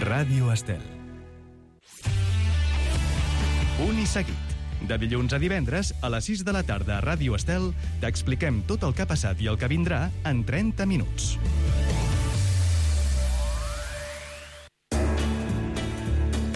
Ràdio Estel. Punt i seguit. De dilluns a divendres, a les 6 de la tarda a Ràdio Estel, t'expliquem tot el que ha passat i el que vindrà en 30 minuts.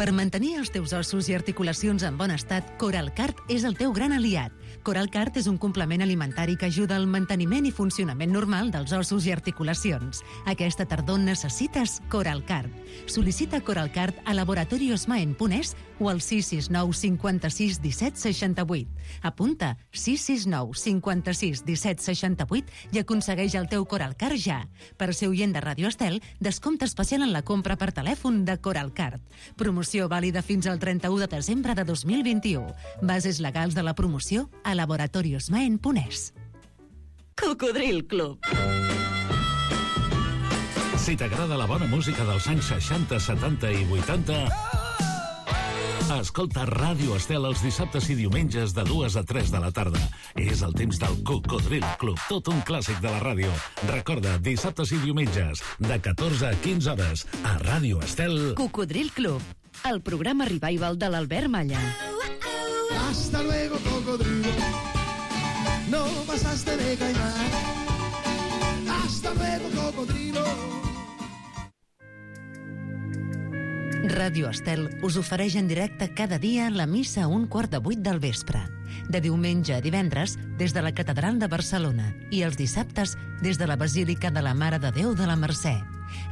Per mantenir els teus ossos i articulacions en bon estat, Coralcart és el teu gran aliat. Coralcart és un complement alimentari que ajuda al manteniment i funcionament normal dels ossos i articulacions. Aquesta tardor necessites Coralcart. Sol·licita Coralcart a laboratoriosmaen.es o al 669 56 17 68. Apunta 669 56 17 68 i aconsegueix el teu Coralcart ja. Per ser oient de Ràdio Estel, descompte especial en la compra per telèfon de Coralcart. Promoció vàlida fins al 31 de desembre de 2021. Bases legals de la promoció a laboratoriosmaen.es. Cocodril Club. Si t'agrada la bona música dels anys 60, 70 i 80, escolta Ràdio Estel els dissabtes i diumenges de 2 a 3 de la tarda. És el temps del Cocodril Club, tot un clàssic de la ràdio. Recorda, dissabtes i diumenges, de 14 a 15 hores, a Ràdio Estel. Cocodril Club, el programa revival de l'Albert Malla. Hasta luego, cocodrilo. No pasaste de caimán. Hasta luego, cocodrilo. Ràdio Estel us ofereix en directe cada dia la missa a 7:15 del vespre. De diumenge a divendres, des de la Catedral de Barcelona, i els dissabtes, des de la Basílica de la Mare de Déu de la Mercè.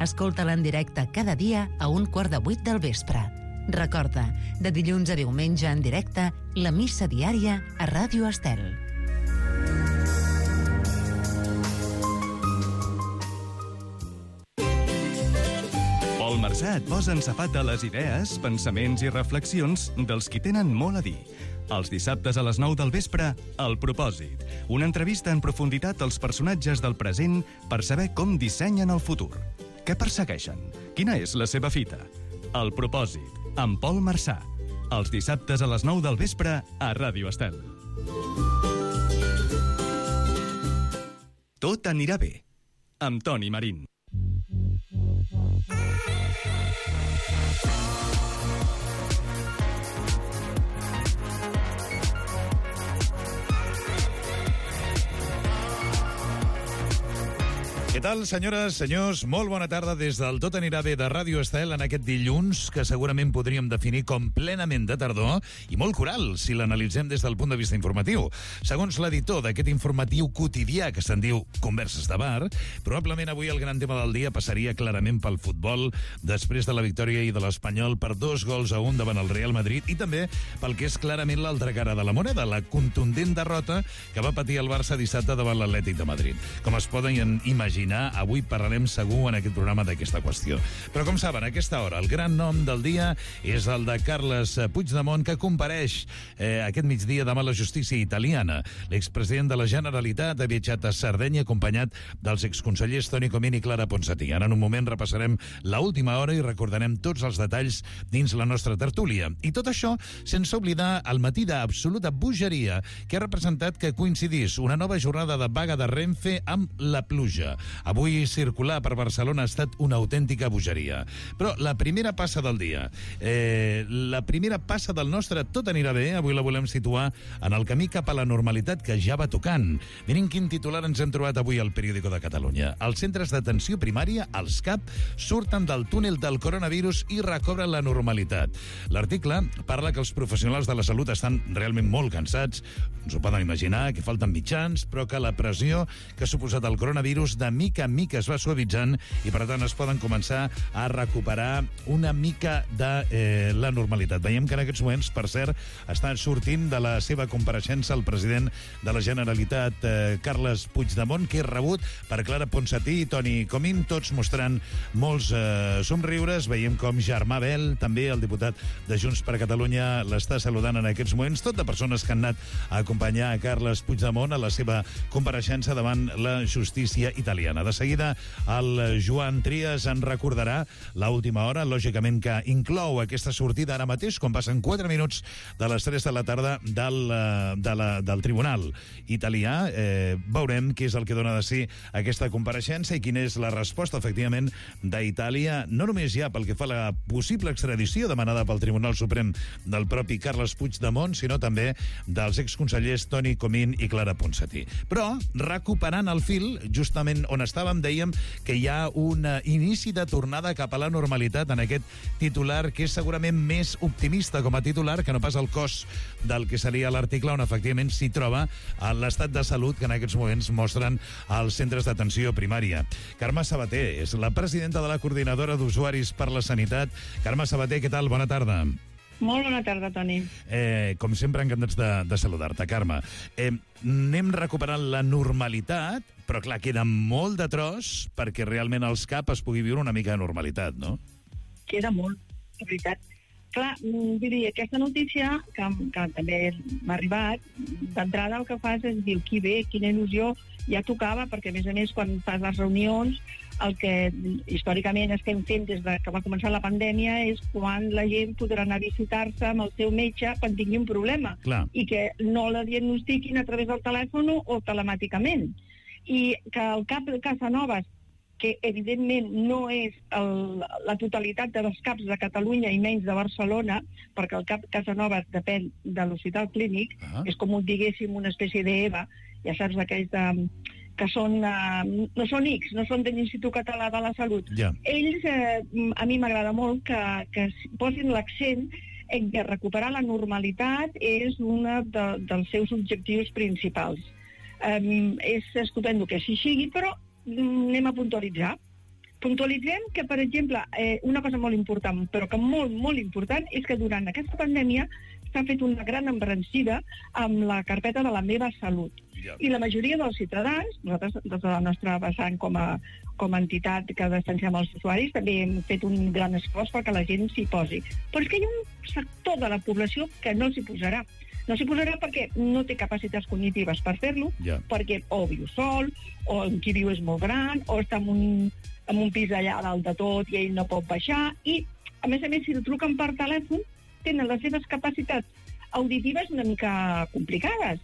Escolta-la en directe cada dia a 7:15 del vespre. Recorda, de dilluns a diumenge en directe, la missa diària a Ràdio Estel. Pol Marsà et posa en safat de les idees, pensaments i reflexions dels qui tenen molt a dir. Els dissabtes a les 9 del vespre, El Propòsit. Una entrevista en profunditat als personatges del present per saber com dissenyen el futur. Què persegueixen? Quina és la seva fita? El Propòsit, amb Pol Marsà. Els dissabtes a les 9 del vespre a Ràdio Estel. Tot anirà bé. Amb Toni Marín. Què tal, senyores, senyors? Molt bona tarda des del Tot anirà bé de Ràdio Estel en aquest dilluns que segurament podríem definir com plenament de tardor i molt coral, si l'analitzem des del punt de vista informatiu. Segons l'editor d'aquest informatiu quotidià que se'n diu Converses de Bar, probablement avui el gran tema del dia passaria clarament pel futbol després de la victòria i de l'Espanyol per 2-1 davant el Real Madrid i també pel que és clarament l'altra cara de la moneda, la contundent derrota que va patir el Barça dissabte davant l'Atlètic de Madrid. Com es poden imaginar, avui parlarem segur en aquest programa d'aquesta qüestió. Però com saben, a aquesta hora el gran nom del dia és el de Carles Puigdemont, que compareix aquest migdia davant la justícia italiana. L'expresident de la Generalitat ha viatjat a Sardenya acompanyat dels exconsellers Toni Comín i Clara Ponsatí. Ara en un moment repassarem l'última hora i recordarem tots els detalls dins la nostra tertúlia. I tot això sense oblidar el matí d'absoluta bogeria que ha representat que coincidís una nova jornada de vaga de Renfe amb la pluja. Avui circular per Barcelona ha estat una autèntica bogeria. Però la primera passa del dia, la primera passa del nostre Tot anirà bé, avui la volem situar en el camí cap a la normalitat que ja va tocant. Miren quin titular ens hem trobat avui al Periódico de Catalunya. Els centres d'atenció primària, els CAP, surten del túnel del coronavirus i recobren la normalitat. L'article parla que els professionals de la salut estan realment molt cansats, ens ho poden imaginar, que falten mitjans, però que la pressió que ha suposat el coronavirus de mica en mica es va suavitzant i per tant es poden començar a recuperar una mica de la normalitat. Veiem que en aquests moments, per cert, està sortint de la seva compareixença el president de la Generalitat, Carles Puigdemont, que és rebut per Clara Ponsatí i Toni Comín, tots mostrant molts somriures. Veiem com Germà Bel, també el diputat de Junts per Catalunya, l'està saludant en aquests moments, tot de persones que han anat a acompanyar a Carles Puigdemont a la seva compareixença davant la justícia italiana. italiana. De seguida, el Joan Trias en recordarà l'última hora, lògicament que inclou aquesta sortida ara mateix, quan passen 4 minuts de les 3 de la tarda del Tribunal italià. Veurem què és el que dona de si aquesta compareixença i quina és la resposta, efectivament, d'Itàlia, no només ja pel que fa a la possible extradició demanada pel Tribunal Suprem del propi Carles Puigdemont, sinó també dels exconsellers Toni Comín i Clara Ponsatí. Però, recuperant el fil, justament on estàvem, dèiem que hi ha un inici de tornada cap a la normalitat en aquest titular, que és segurament més optimista com a titular que no pas el cos del que seria l'article on efectivament s'hi troba l'estat de salut que en aquests moments mostren els centres d'atenció primària. Carme Sabater és la presidenta de la Coordinadora d'Usuaris per la Sanitat. Carme Sabater, què tal? Bona tarda. Molt bona tarda, Toni. Com sempre, encantats de saludar-te, Carme. Anem recuperant la normalitat, però clar, queda molt de tros perquè realment als CAP es pugui viure una mica de normalitat, no? Queda molt, de veritat. Clar, diria, aquesta notícia, que també m'ha arribat, d'entrada el que fas és dir, qui bé, quina il·lusió, ja tocava, perquè a més, quan fas les reunions, el que històricament estem fent des que va començar la pandèmia és quan la gent podrà anar a visitar-se amb el seu metge quan tingui un problema. Clar. I que no la diagnostiquin a través del telèfon o telemàticament. I que el CAP de Casanovas, que evidentment no és la totalitat dels CAPs de Catalunya i menys de Barcelona, perquè el CAP Casanovas depèn de l'Hospital Clínic, és com diguéssim una espècie d'EVA, ja saps, aquells que són, no són X, no són de l'Institut Català de la Salut. Yeah. Ells, a mi m'agrada molt que posin l'accent en que recuperar la normalitat és un dels seus objectius principals. És estupendo que així sigui, però anem a puntualitzar. Puntualitzem que, per exemple, una cosa molt important, però que molt, molt important, és que durant aquesta pandèmia s'ha fet una gran embranzida amb la carpeta de la meva salut. I la majoria dels ciutadans, nosaltres, des de la nostra vessant com a entitat que defensem els usuaris, també hem fet un gran esforç perquè la gent s'hi posi. Però és que hi ha un sector de la població que no s'hi posarà. No s'hi posarà perquè no té capacitats cognitives per fer-lo, perquè o viu sol, o qui viu és molt gran, o està en un pis allà dalt de tot i ell no pot baixar, i a més, si el truquen per telèfon, tenen les seves capacitats auditives una mica complicades.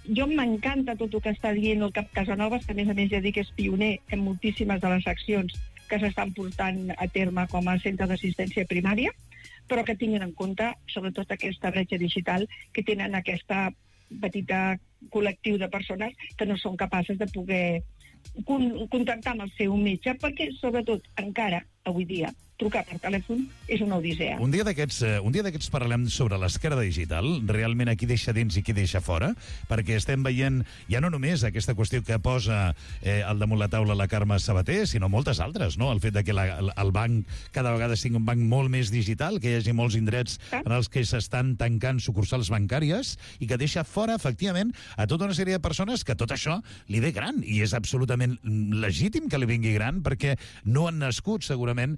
Jo m'encanta tot el que està dient el CAP Casanovas, que a més ja dic que és pioner en moltíssimes de les accions que s'estan portant a terme com a centre d'assistència primària, però que tinguin en compte, sobretot, aquesta bretxa digital, que tenen aquesta petita col·lectiu de persones que no són capaces de poder contactar amb el seu metge, perquè, sobretot, encara, avui dia, trucar per telèfon és una odissea. Un dia d'aquests parlem sobre l'esquerda digital, realment a qui deixa dins i qui deixa fora, perquè estem veient ja no només aquesta qüestió que posa al damunt la taula la Carme Sabater, sinó moltes altres, no? El fet de que el banc cada vegada sigui un banc molt més digital, que hi hagi molts indrets en els que s'estan tancant sucursals bancàries i que deixa fora, efectivament, a tota una sèrie de persones que tot això li ve gran, i és absolutament legítim que li vingui gran, perquè no han nascut, segurament,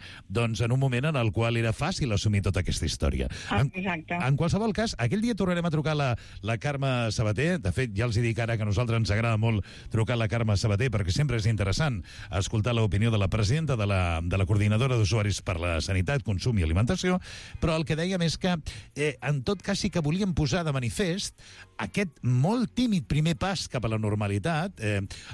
en un moment en el qual era fàcil assumir tota aquesta història. Exacte. En qualsevol cas, aquell dia tornarem a trucar la Carme Sabater. De fet, ja els dic ara que a nosaltres ens agrada molt trucar la Carme Sabater, perquè sempre és interessant escoltar l'opinió de la presidenta de la Coordinadora d'Usuaris per la Sanitat, Consum i Alimentació, però el que dèiem és que, en tot cas, sí que volíem posar de manifest aquest molt tímid primer pas cap a la normalitat.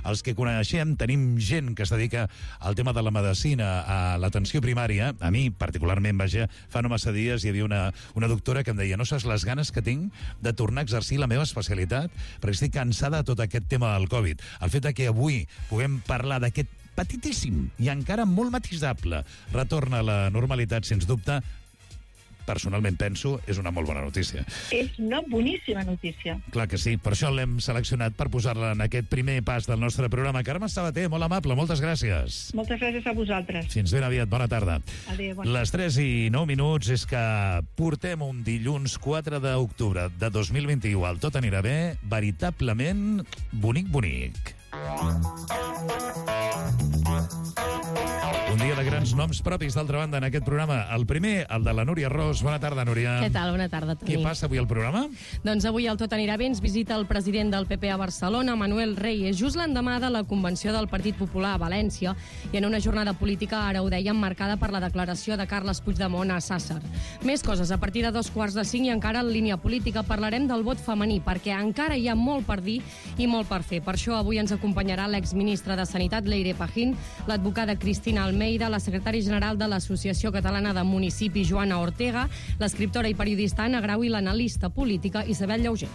Els que coneixem, tenim gent que es dedica al tema de la medicina, a l'atenció primària. A mi, particularment, fa no massa dies hi havia una doctora que em deia: no saps les ganes que tinc de tornar a exercir la meva especialitat, perquè estic cansada de tot aquest tema del Covid. El fet que avui puguem parlar d'aquest petitíssim i encara molt matisable retorn a la normalitat, sens dubte, personalment penso, és una molt bona notícia. És una boníssima notícia. Clar que sí, per això l'hem seleccionat per posar-la en aquest primer pas del nostre programa. Carme Sabater, molt amable, moltes gràcies. Moltes gràcies a vosaltres. Fins ben aviat, bona tarda. Adéu, bona tarda. Les 3:09 és que portem un dilluns 4 d'octubre de 2021 al Tot anirà bé, veritablement bonic. Un dia de grans noms propis, d'altra banda, en aquest programa. El primer, el de la Núria Ros. Bona tarda, Núria. Què tal? Bona tarda, Toni. Què passa avui al programa? Doncs avui el Tot anirà bé ens visita el president del PP a Barcelona, Manuel Reyes, just l'endemà de la convenció del Partit Popular a València, i en una jornada política, ara ho dèiem, marcada per la declaració de Carles Puigdemont a Sàsser. Més coses, a partir de 4:45 i encara en línia política parlarem del vot femení, perquè encara hi ha molt per dir i molt per fer. Per això avui ens acompanyarà l'exministra de Sanitat, Leire Pajín, l'advocada Cristina Almeida, la secretària general de l'Associació Catalana de Municipis, Joana Ortega, l'escriptora i periodista Anna Grau i l'analista política Isabel Llauger.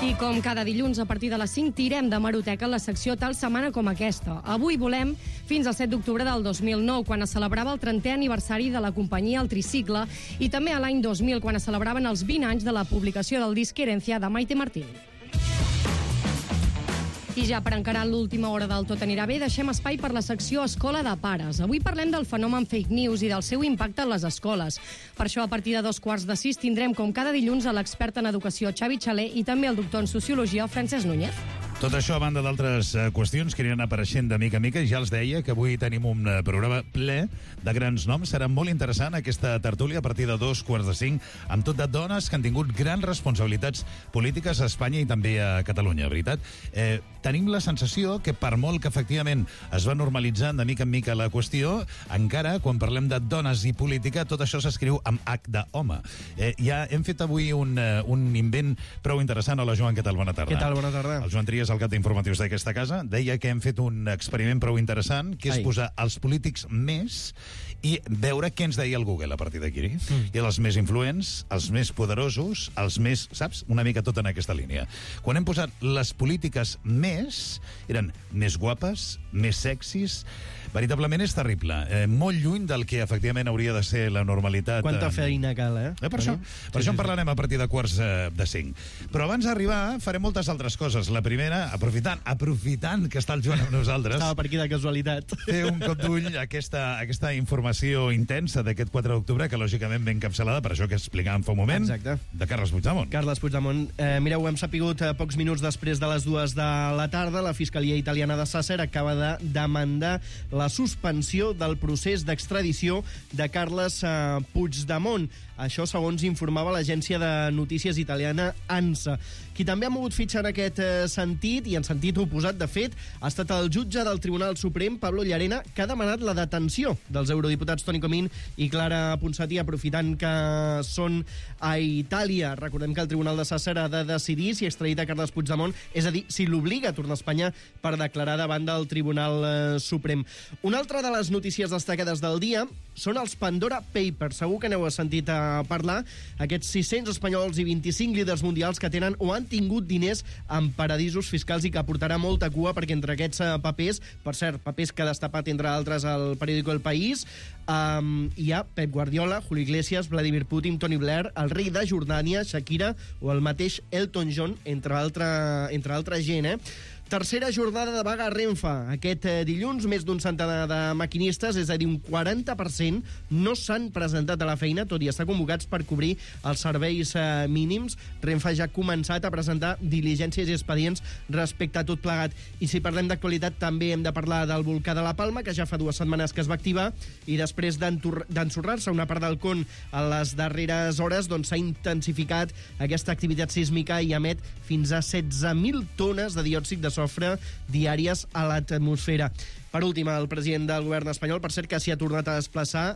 I com cada dilluns a partir de les 5 tirem de Hemeroteca la secció Tal setmana com aquesta. Avui volem fins al 7 d'octubre del 2009, quan es celebrava el 30è aniversari de la companyia El Tricicle, i també a l'any 2000, quan es celebraven els 20 anys de la publicació del disc Herencia de Maite Martín. I ja per encarar l'última hora del Tot anirà bé, deixem espai per la secció Escola de Pares. Avui parlem del fenomen fake news i del seu impacte en les escoles. Per això, a partir de 5:45, tindrem, com cada dilluns, a l'expert en educació Xavi Xaler i també el doctor en sociologia Francesc Núñez. Tot això, a banda d'altres qüestions que aniran apareixent de mica a mica, i ja els deia que avui tenim un programa ple de grans noms. Serà molt interessant aquesta tertúlia a partir de 5:45, amb tot de dones que han tingut grans responsabilitats polítiques a Espanya i també a Catalunya, veritat? Tenim la sensació que, per molt que efectivament es va normalitzant de mica en mica la qüestió, encara, quan parlem de dones i política, tot això s'escriu amb H d'home. Ja hem fet avui un invent prou interessant. Hola, Joan, què tal? Bona tarda. Què tal? Bona tarda. El Joan Trias, el cap d'informatius d'aquesta casa, deia que hem fet un experiment prou interessant, que és posar els polítics més i veure què ens deia el Google a partir d'aquí. I els més influents, els més poderosos, els més, saps? Una mica tot en aquesta línia. Quan hem posat les polítiques més, eren més guapes, més sexis. Veritablement és terrible. Molt lluny del que efectivament hauria de ser la normalitat. Quanta feina cal, Per això en parlarem a partir de 4:45. Però abans d'arribar farem moltes altres coses. La primera, aprofitant que està el Joan amb nosaltres, estava per aquí de casualitat, fer un cop d'ull a aquesta informació intensa d'aquest 4 d'octubre, que lògicament ve encapçalada per això que explicàvem fa un moment. Exacte. De Carles Puigdemont. Carles Puigdemont. Mireu, hem sapigut pocs minuts després de les 2 de la tarda, la Fiscalia Italiana de Sàsser acaba de demandar la suspensió del procés d'extradició de Carles Puigdemont. Això segons informava l'agència de notícies italiana ANSA. Qui també ha mogut fitxa en aquest sentit, i en sentit oposat, de fet, ha estat el jutge del Tribunal Suprem, Pablo Llarena, que ha demanat la detenció dels eurodiputats Toni Comín i Clara Ponsatí, aprofitant que són a Itàlia. Recordem que el Tribunal de Sàsser ha de decidir si extradita Carles Puigdemont, és a dir, si l'obliga a tornar a Espanya per declarar davant del Tribunal Suprem. Una altra de les notícies destacades del dia són els Pandora Papers. Segur que n'heu sentit a parlar. Aquests 600 espanyols i 25 líders mundials que tenen o han tingut diners en paradisos fiscals i que portarà molta cua, perquè entre aquests papers, per cert, papers que ha destapat, entre altres, el periòdico El País, hi ha Pep Guardiola, Julio Iglesias, Vladimir Putin, Tony Blair, el rei de Jordània, Shakira o el mateix Elton John, entre altra gent, Tercera jornada de vaga a Renfe. Aquest dilluns, més d'un centenar de maquinistes, és a dir, un 40%, no s'han presentat a la feina, tot i estar convocats per cobrir els serveis mínims. Renfe ja ha començat a presentar diligències i expedients respecte a tot plegat. I si parlem d'actualitat, també hem de parlar del volcà de la Palma, que ja fa 2 setmanes que es va activar, i després d'ensorrar-se una part del con a les darreres hores, doncs s'ha intensificat aquesta activitat sísmica i emet fins a 16.000 tones de diòxid de sofre diàries a l'atmosfera. Per últim, el president del govern espanyol, per cert, que s'hi ha tornat a desplaçar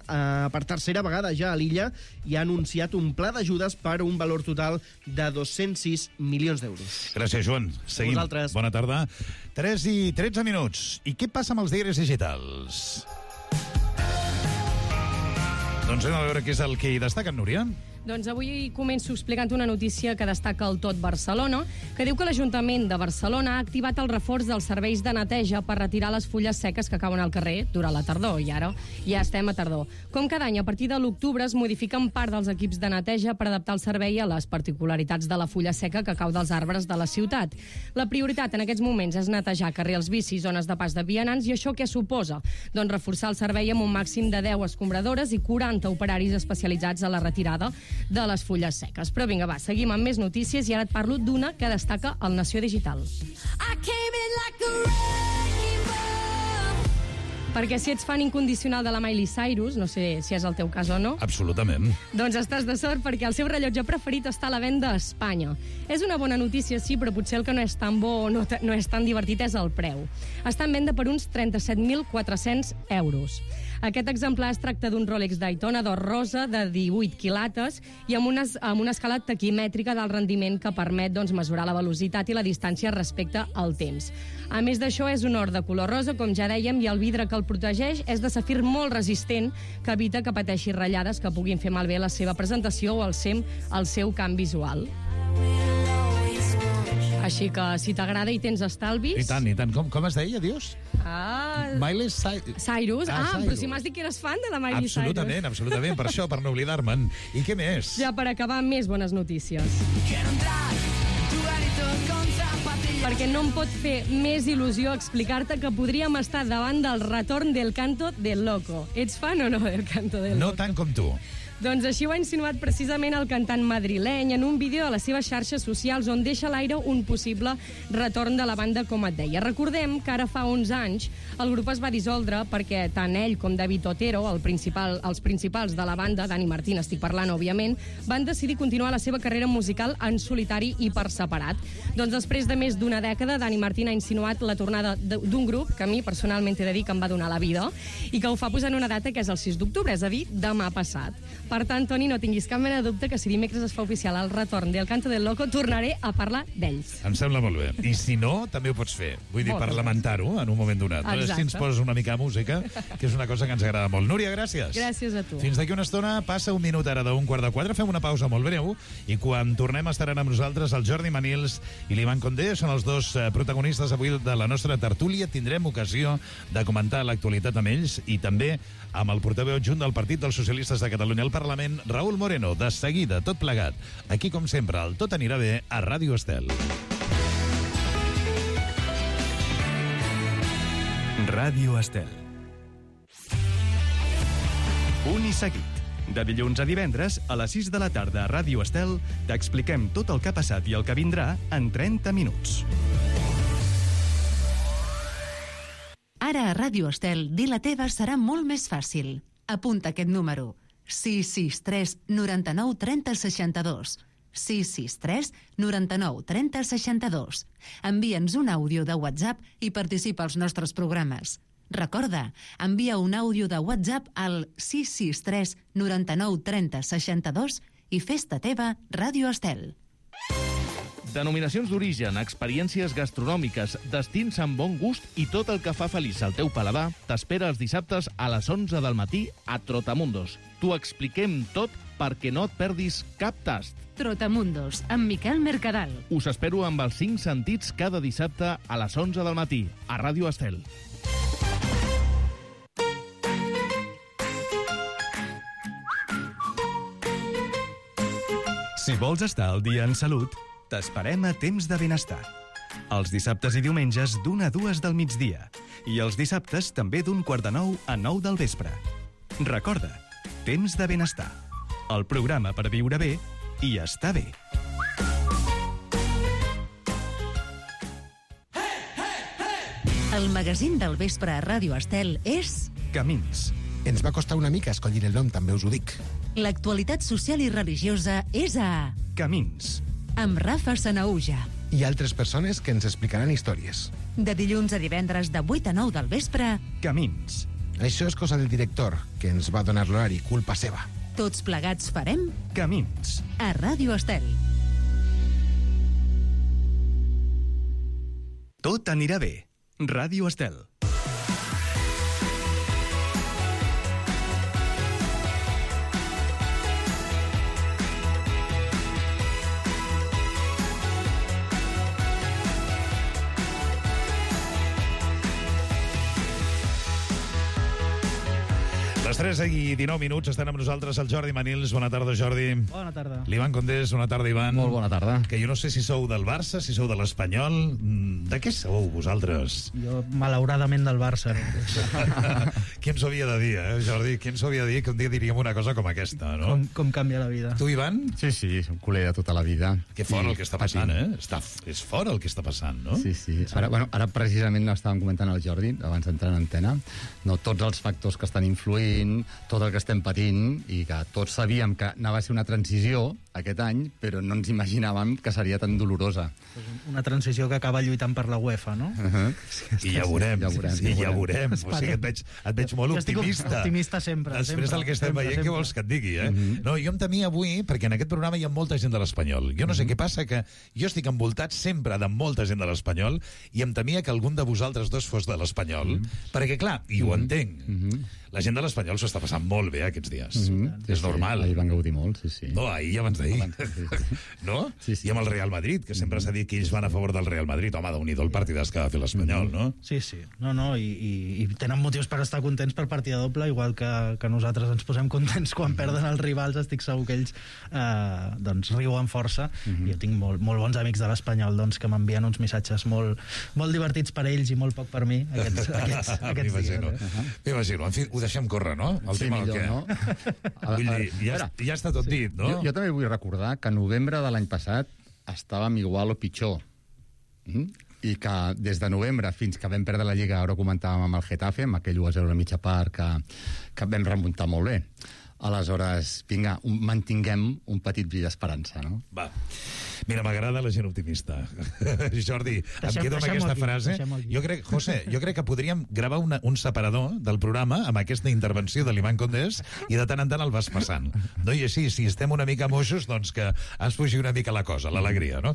per tercera vegada ja a l'illa, i ha anunciat un pla d'ajudes per un valor total de 206 milions d'euros. Gràcies, Joan. Seguim. Vosaltres. Bona tarda. 3:13 minuts. I què passa amb els diaris digitals? Doncs anem a veure què és el que hi destaca, Núria. Doncs avui començo explicant una notícia que destaca el Tot Barcelona, que diu que l'Ajuntament de Barcelona ha activat el reforç dels serveis de neteja per retirar les fulles seques que cauen al carrer durant la tardor, i ara ja estem a tardor. Com cada any, a partir de l'octubre es modifiquen part dels equips de neteja per adaptar el servei a les particularitats de la fulla seca que cau dels arbres de la ciutat. La prioritat en aquests moments és netejar carrils bicis, zones de pas de vianants, i això què suposa? Doncs reforçar el servei amb un màxim de 10 escombradores i 40 operaris especialitzats a la retirada de les fulles seques. Però vinga, va, seguim amb més notícies i ara et parlo d'una que destaca el Nació Digital. I came in like a wrecking ball. Perquè si ets fan incondicional de la Miley Cyrus, no sé si és el teu cas o no, Absolutament. doncs estàs de sort perquè el seu rellotge preferit està a la venda a Espanya. És una bona notícia, sí, però potser el que no és tan bo o no és tan divertit és el preu. Està en venda per uns 37.400 euros. Aquest exemplar es tracta d'un Rolex Daytona d'or rosa de 18 quilates i amb una escala taquimètrica del rendiment que permet mesurar la velocitat i la distància respecte al temps. A més d'això, és un or de color rosa, com ja dèiem, i el vidre que el protegeix és de safir molt resistent que evita que pateixi ratllades que puguin fer malbé la seva presentació o el seu camp visual. Així que, si t'agrada i tens estalvis... I tant. Com es deia, dius? Miley Cyrus. Cyrus. Però si m'has dit que eres fan de la Miley Cyrus. Absolutament, per això, per no oblidar-me'n. I què més? Ja per acabar, més bones notícies. Perquè no em pot fer més il·lusió explicar-te que podríem estar davant del retorn del Canto del Loco. Ets fan o no del Canto del Loco? No tant com tu. Doncs així ho ha insinuat precisament el cantant madrileny en un vídeo a les seves xarxes socials on deixa a l'aire un possible retorn de la banda, com et deia. Recordem que ara fa 11 anys el grup es va dissoldre perquè tant ell com David Otero, els principals de la banda, Dani Martín estic parlant, òbviament, van decidir continuar la seva carrera musical en solitari i per separat. Doncs després de més d'una dècada, Dani Martín ha insinuat la tornada d'un grup que a mi personalment he de dir que em va donar la vida i que ho fa posant una data que és el 6 d'octubre, és a dir, demà passat. Per tant, Toni, no tinguis cap mena de dubte que si dimecres es fa oficial el retorn del Canto del Loco, tornaré a parlar d'ells. Em sembla molt bé. I si no, també ho pots fer. Vull dir, per lamentar-ho en un moment donat. Exacte. Si ens poses una mica de música, que és una cosa que ens agrada molt. Núria, gràcies. Gràcies a tu. Fins d'aquí una estona, passa un minut ara d'un 3:45, fem una pausa molt breu, i quan tornem estaran amb nosaltres el Jordi Manils i l'Ivan Condé, són els dos protagonistes avui de la nostra tertúlia. Tindrem ocasió de comentar l'actualitat amb ells i també amb el portaveu adjunt del Partit dels Socialistes de Catalunya al Parlament, Raúl Moreno. De seguida, tot plegat. Aquí, com sempre, el Tot anirà bé a Ràdio Estel. Ràdio Estel. Punt i seguit. De dilluns a divendres, a les 6 de la tarda a Ràdio Estel, t'expliquem tot el que ha passat i el que vindrà en 30 minuts. Ara a Ràdio Estel, dir la teva serà molt més fàcil. Apunta aquest número. 663 99 30 62. 663 99 30 62. Envia'ns un àudio de WhatsApp i participa als nostres programes. Recorda, envia un àudio de WhatsApp al 663 99 30 62 i fes-te teva Ràdio Estel. Denominacions d'origen, experiències gastronòmiques, destins amb bon gust i tot el que fa feliç al teu paladar t'espera els dissabtes a les 11 del matí a Trotamundos. T'ho expliquem tot perquè no et perdis cap tast. Trotamundos, amb Miquel Mercadal. Us espero amb els 5 sentits cada dissabte a les 11 del matí a Ràdio Estel. Si vols estar al dia en salut, t'esperem a Temps de Benestar. Els dissabtes i diumenges d'1 a 2 del migdia. I els dissabtes també d'1 quart de 9 a 9 del vespre. Recorda, Temps de Benestar. El programa per viure bé i estar bé. El magazín del vespre a Ràdio Estel és... Camins. Ens va costar una mica escollir el nom, també us ho dic. L'actualitat social i religiosa és a... Camins. Amb Rafa Sanaúja. I altres persones que ens explicaran històries. De dilluns a divendres de 8 a 9 del vespre... Camins. Això és cosa del director, que ens va donar l'horari, culpa seva. Tots plegats farem... Camins. A Ràdio Estel. Tot anirà bé. Ràdio Estel. Les Les 3:19 estan amb nosaltres el Jordi Manils. Bona tarda, Jordi. Bona tarda. L'Ivan Condés, bona tarda, Ivan. Molt bona tarda. Que jo no sé si sou del Barça, si sou de l'Espanyol. De què sou vosaltres? Jo, malauradament, del Barça. Qui ens ho havia de dir, Jordi? Qui ens ho havia de dir que un dia diríem una cosa com aquesta, no? Com canvia la vida. Tu, Ivan? Sí, som culer de tota la vida. Que fort el que està passant, És fort el que està passant, no? Sí. Ara precisament estàvem comentant al Jordi, abans d'entrar en antena, no, tots els factors que estan influint, tot el que estem patint, i que tots sabíem que anava a ser una transició aquest any, però no ens imaginàvem que seria tan dolorosa. Una transició que acaba lluitant per la UEFA, no? I ja veurem. O sigui, et veig molt optimista. Jo estic optimista sempre. Després del que estem veient, què vols que et digui, No, jo em temia avui, perquè en aquest programa hi ha molta gent de l'Espanyol. Jo no sé què passa, que jo estic envoltat sempre de molta gent de l'Espanyol i em temia que algun de vosaltres dos fos de l'Espanyol, perquè, clar, i ho entenc, la gent de l'Espanyol s'ho està passant molt bé aquests dies. És normal. Ahir van gaudir molt, sí. No, ahir i abans d'ahir. No? I amb el Real Madrid, que sempre s'ha dit que ells van a favor del Real Madrid. Home, déu-n'hi-do el partidàs que va fer l'Espanyol, no? Sí. I tenen motius per estar contents per partida doble, igual que nosaltres ens posem contents quan perden els rivals. Estic segur que ells doncs riuen força. Jo tinc molt bons amics de l'Espanyol que m'envien uns missatges molt divertits per ells i molt poc per mi aquests dies. M'imagino. En fi, ho deixem córrer, no? El tema millor, que... no? Vull dir, ja està tot dit, no? Jo també vull recordar que a novembre de l'any passat estàvem igual o pitjor. I que des de novembre fins que vam perdre la Lliga, ara ho comentàvem amb el Getafe, amb aquell 1-0 a mitja part que vam remuntar molt bé. Aleshores, vinga, mantinguem un petit bri d'esperança, no? Va. Mira, m'agrada la gent optimista. Jordi, em quedo amb aquesta frase. Jo crec que podríem gravar un separador del programa amb aquesta intervenció de l'Ivan Condés i de tant en tant el vas passant. No? I així, si estem una mica moixos, doncs que es fugi una mica la cosa, l'alegria, no?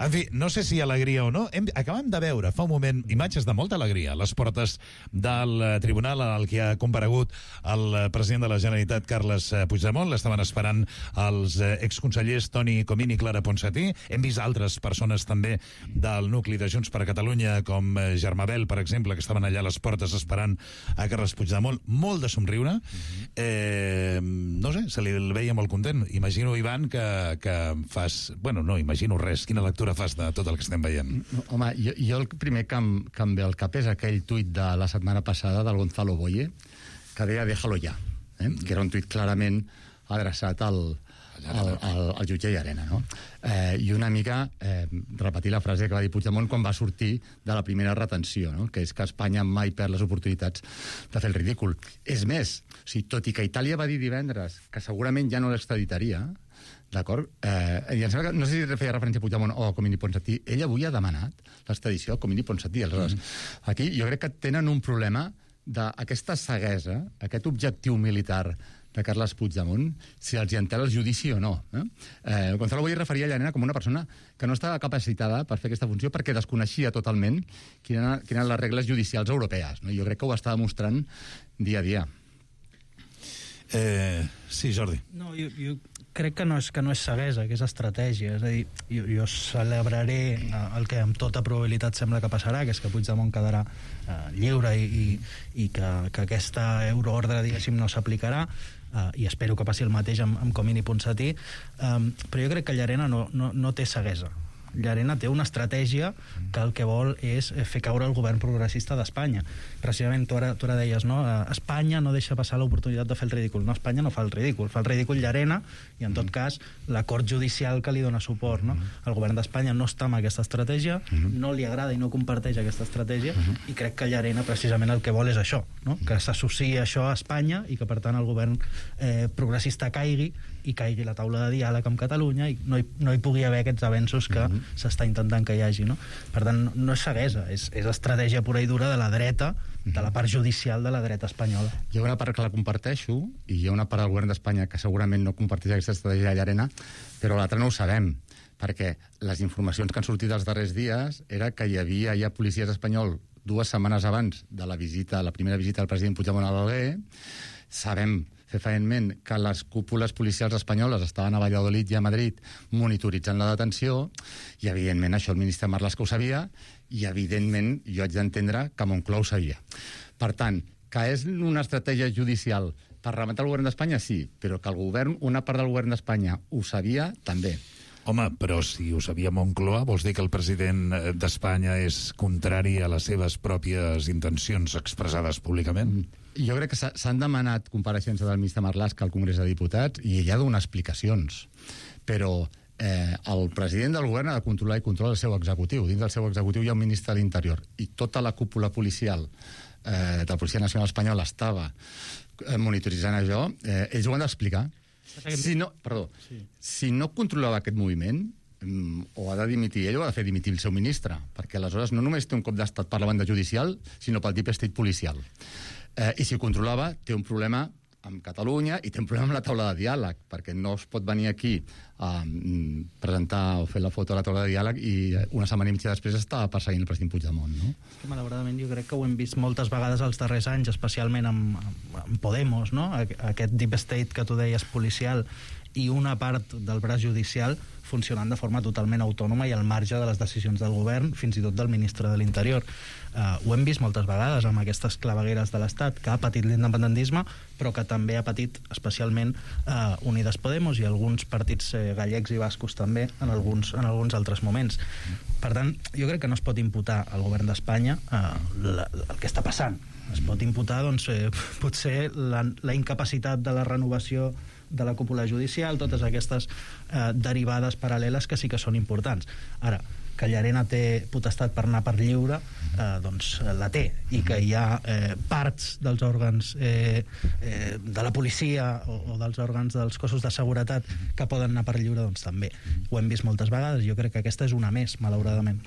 En fi, no sé si alegria o no. Acabem de veure fa un moment imatges de molta alegria a les portes del tribunal al que ha comparegut el president de la Generalitat, Carles Puigdemont. L'estaven esperant els exconsellers Toni Comín i Clara Ponsatí. Hem vist altres persones també del nucli de Junts per Catalunya, com Germà Bel, per exemple, que estaven allà a les portes esperant a Carles Puigdemont. Molt de somriure. No sé, se li veia molt content. Imagino, Ivan, que fas... Bueno, no imagino res. Quina lectura fas de tot el que estem veient? Home, jo el primer que em ve al cap és aquell tuit de la setmana passada del Gonzalo Boye, que deia déjalo ya, que era un tuit clarament adreçat al jutge Llarena, no? I una mica repetir la frase que va dir Puigdemont quan va sortir de la primera retenció, no? Que és que Espanya mai perd les oportunitats de fer el ridícul. És més, tot i que Itàlia va dir divendres que segurament ja no l'extraditaria, d'acord? I em sembla que, no sé si feia referència a Puigdemont o a Comín i Ponsatí, ell avui ha demanat l'extradició a Comín i Ponsatí. Aleshores, aquí jo crec que tenen un problema d'aquesta ceguesa, aquest objectiu militar de Carles Puigdemont, si els hi entela el judici o no. Gonzalo Boye referia a Llarena com una persona que no estava capacitada per fer aquesta funció perquè desconeixia totalment quines eren les regles judicials europees. Jo crec que ho està demostrant dia a dia. Sí, Jordi. No, jo crec que no és ceguesa, que és estratègia. És a dir, jo celebraré el que amb tota probabilitat sembla que passarà, que és que Puigdemont quedarà lliure i que aquesta euroordre, diguéssim, no s'aplicarà, i espero que passi el mateix amb Comín i Ponsatí, però jo crec que Llarena no té ceguesa. Llarena té una estratègia que el que vol és fer caure el govern progressista d'Espanya. Precisament, tu ara deies, no? Espanya no deixa passar l'oportunitat de fer el ridícul. No, Espanya no fa el ridícul. Fa el ridícul Llarena i, en tot cas, l'acord judicial que li dona suport, no? El govern d'Espanya no està amb aquesta estratègia, no li agrada i no comparteix aquesta estratègia, i crec que Llarena, precisament, el que vol és això, no? Que s'associï això a Espanya i que, per tant, el govern progressista caigui la taula de diàleg amb Catalunya i no hi pugui haver aquests avenços que s'està intentant que hi hagi, no? Per tant, no és ceguesa, és estratègia pura i dura de la dreta, de la part judicial de la dreta espanyola. Hi ha una part que la comparteixo i hi ha una part del govern d'Espanya que segurament no comparteix aquesta estratègia de Llarena, però l'altra no ho sabem, perquè les informacions que han sortit els darrers dies era que hi havia ja policies espanyols 2 setmanes abans de la primera visita del president Puigdemont a l'Alguer. Sabem fefaentment que les cúpules policials espanyoles estaven a Valladolid i a Madrid monitoritzant la detenció, i evidentment això el ministre Marlaska ho sabia, i evidentment jo haig d'entendre que Moncloa ho sabia. Per tant, que és una estratègia judicial per rematar el govern d'Espanya, sí, però que el govern, una part del govern d'Espanya ho sabia, també. Home, però si ho sabia Moncloa, vols dir que el president d'Espanya és contrari a les seves pròpies intencions expressades públicament? Jo crec que s'han demanat compareixences del ministre Marlaska al Congrés de Diputats i ell ha de donar explicacions, però el president del govern ha de controlar i controla el seu executiu. Dins del seu executiu hi ha un ministre de l'Interior i tota la cúpula policial de la Policia Nacional Espanyola estava monitoritzant això. Ells ho han d'explicar. Si no controlava aquest moviment, o ha de dimitir ell o ha de fer dimitir el seu ministre, perquè aleshores no només té un cop d'estat per la banda judicial, sinó pel deep state policial. I si ho controlava, té un problema amb Catalunya i té un problema amb la taula de diàleg, perquè no es pot venir aquí a presentar o fer la foto a la taula de diàleg i una setmana i mitja després estava perseguint el president Puigdemont, no? Malauradament jo crec que ho hem vist moltes vegades els darrers anys, especialment amb Podemos, no? Aquest deep state que tu deies policial i una part del braç judicial funcionant de forma totalment autònoma i al marge de les decisions del govern, fins i tot del ministre de l'Interior. Ho hem vist moltes vegades amb aquestes clavegueres de l'Estat, que ha patit l'independentisme, però que també ha patit especialment Unides Podemos i alguns partits gallecs i bascos també en alguns altres moments. Per tant, jo crec que no es pot imputar al govern d'Espanya el que està passant. Es pot imputar, doncs, potser la incapacitat de la renovació de la cúpula judicial, totes aquestes derivades paral·leles que sí que són importants. Ara, que Llarena té potestat per anar per lliure, doncs la té, i que hi ha parts dels òrgans de la policia o dels òrgans dels cossos de seguretat que poden anar per lliure, doncs també. Ho hem vist moltes vegades, jo crec que aquesta és una més, malauradament.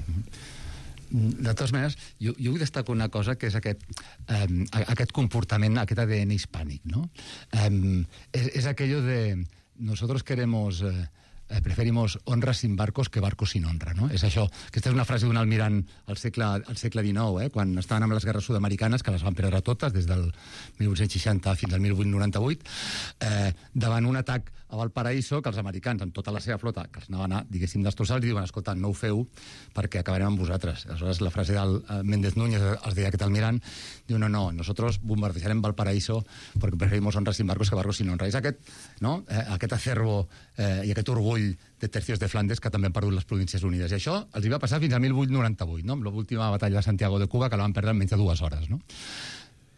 De totes maneres, jo vull destacar una cosa, que és aquest comportament, aquest ADN hispànic, no? És aquello de nosotros preferimos honra sin barcos que barcos sin honra, no? És això. Aquesta és una frase d'un almirant al segle XIX, quan estaven amb les guerres sud-americanes, que les van perdre totes, des del 1860 fins al 1898, davant un atac a Valparaíso, que els americans, amb tota la seva flota, que els anaven a, diguéssim, destrossar, els diuen, escolta, no ho feu perquè acabarem amb vosaltres. Aleshores, la frase del Méndez Núñez, els deia aquest almirant, diu, no, bombardejarem Valparaíso perquè preferimos honra sin barcos que barcos sin honra. És aquest acervo i aquest orgull de tercios de Flandes que també han perdut les Províncies Unides. I això els hi va passar fins al 1898, no? Amb l'última batalla de Santiago de Cuba, que la van perdre en menys de 2 hores, no?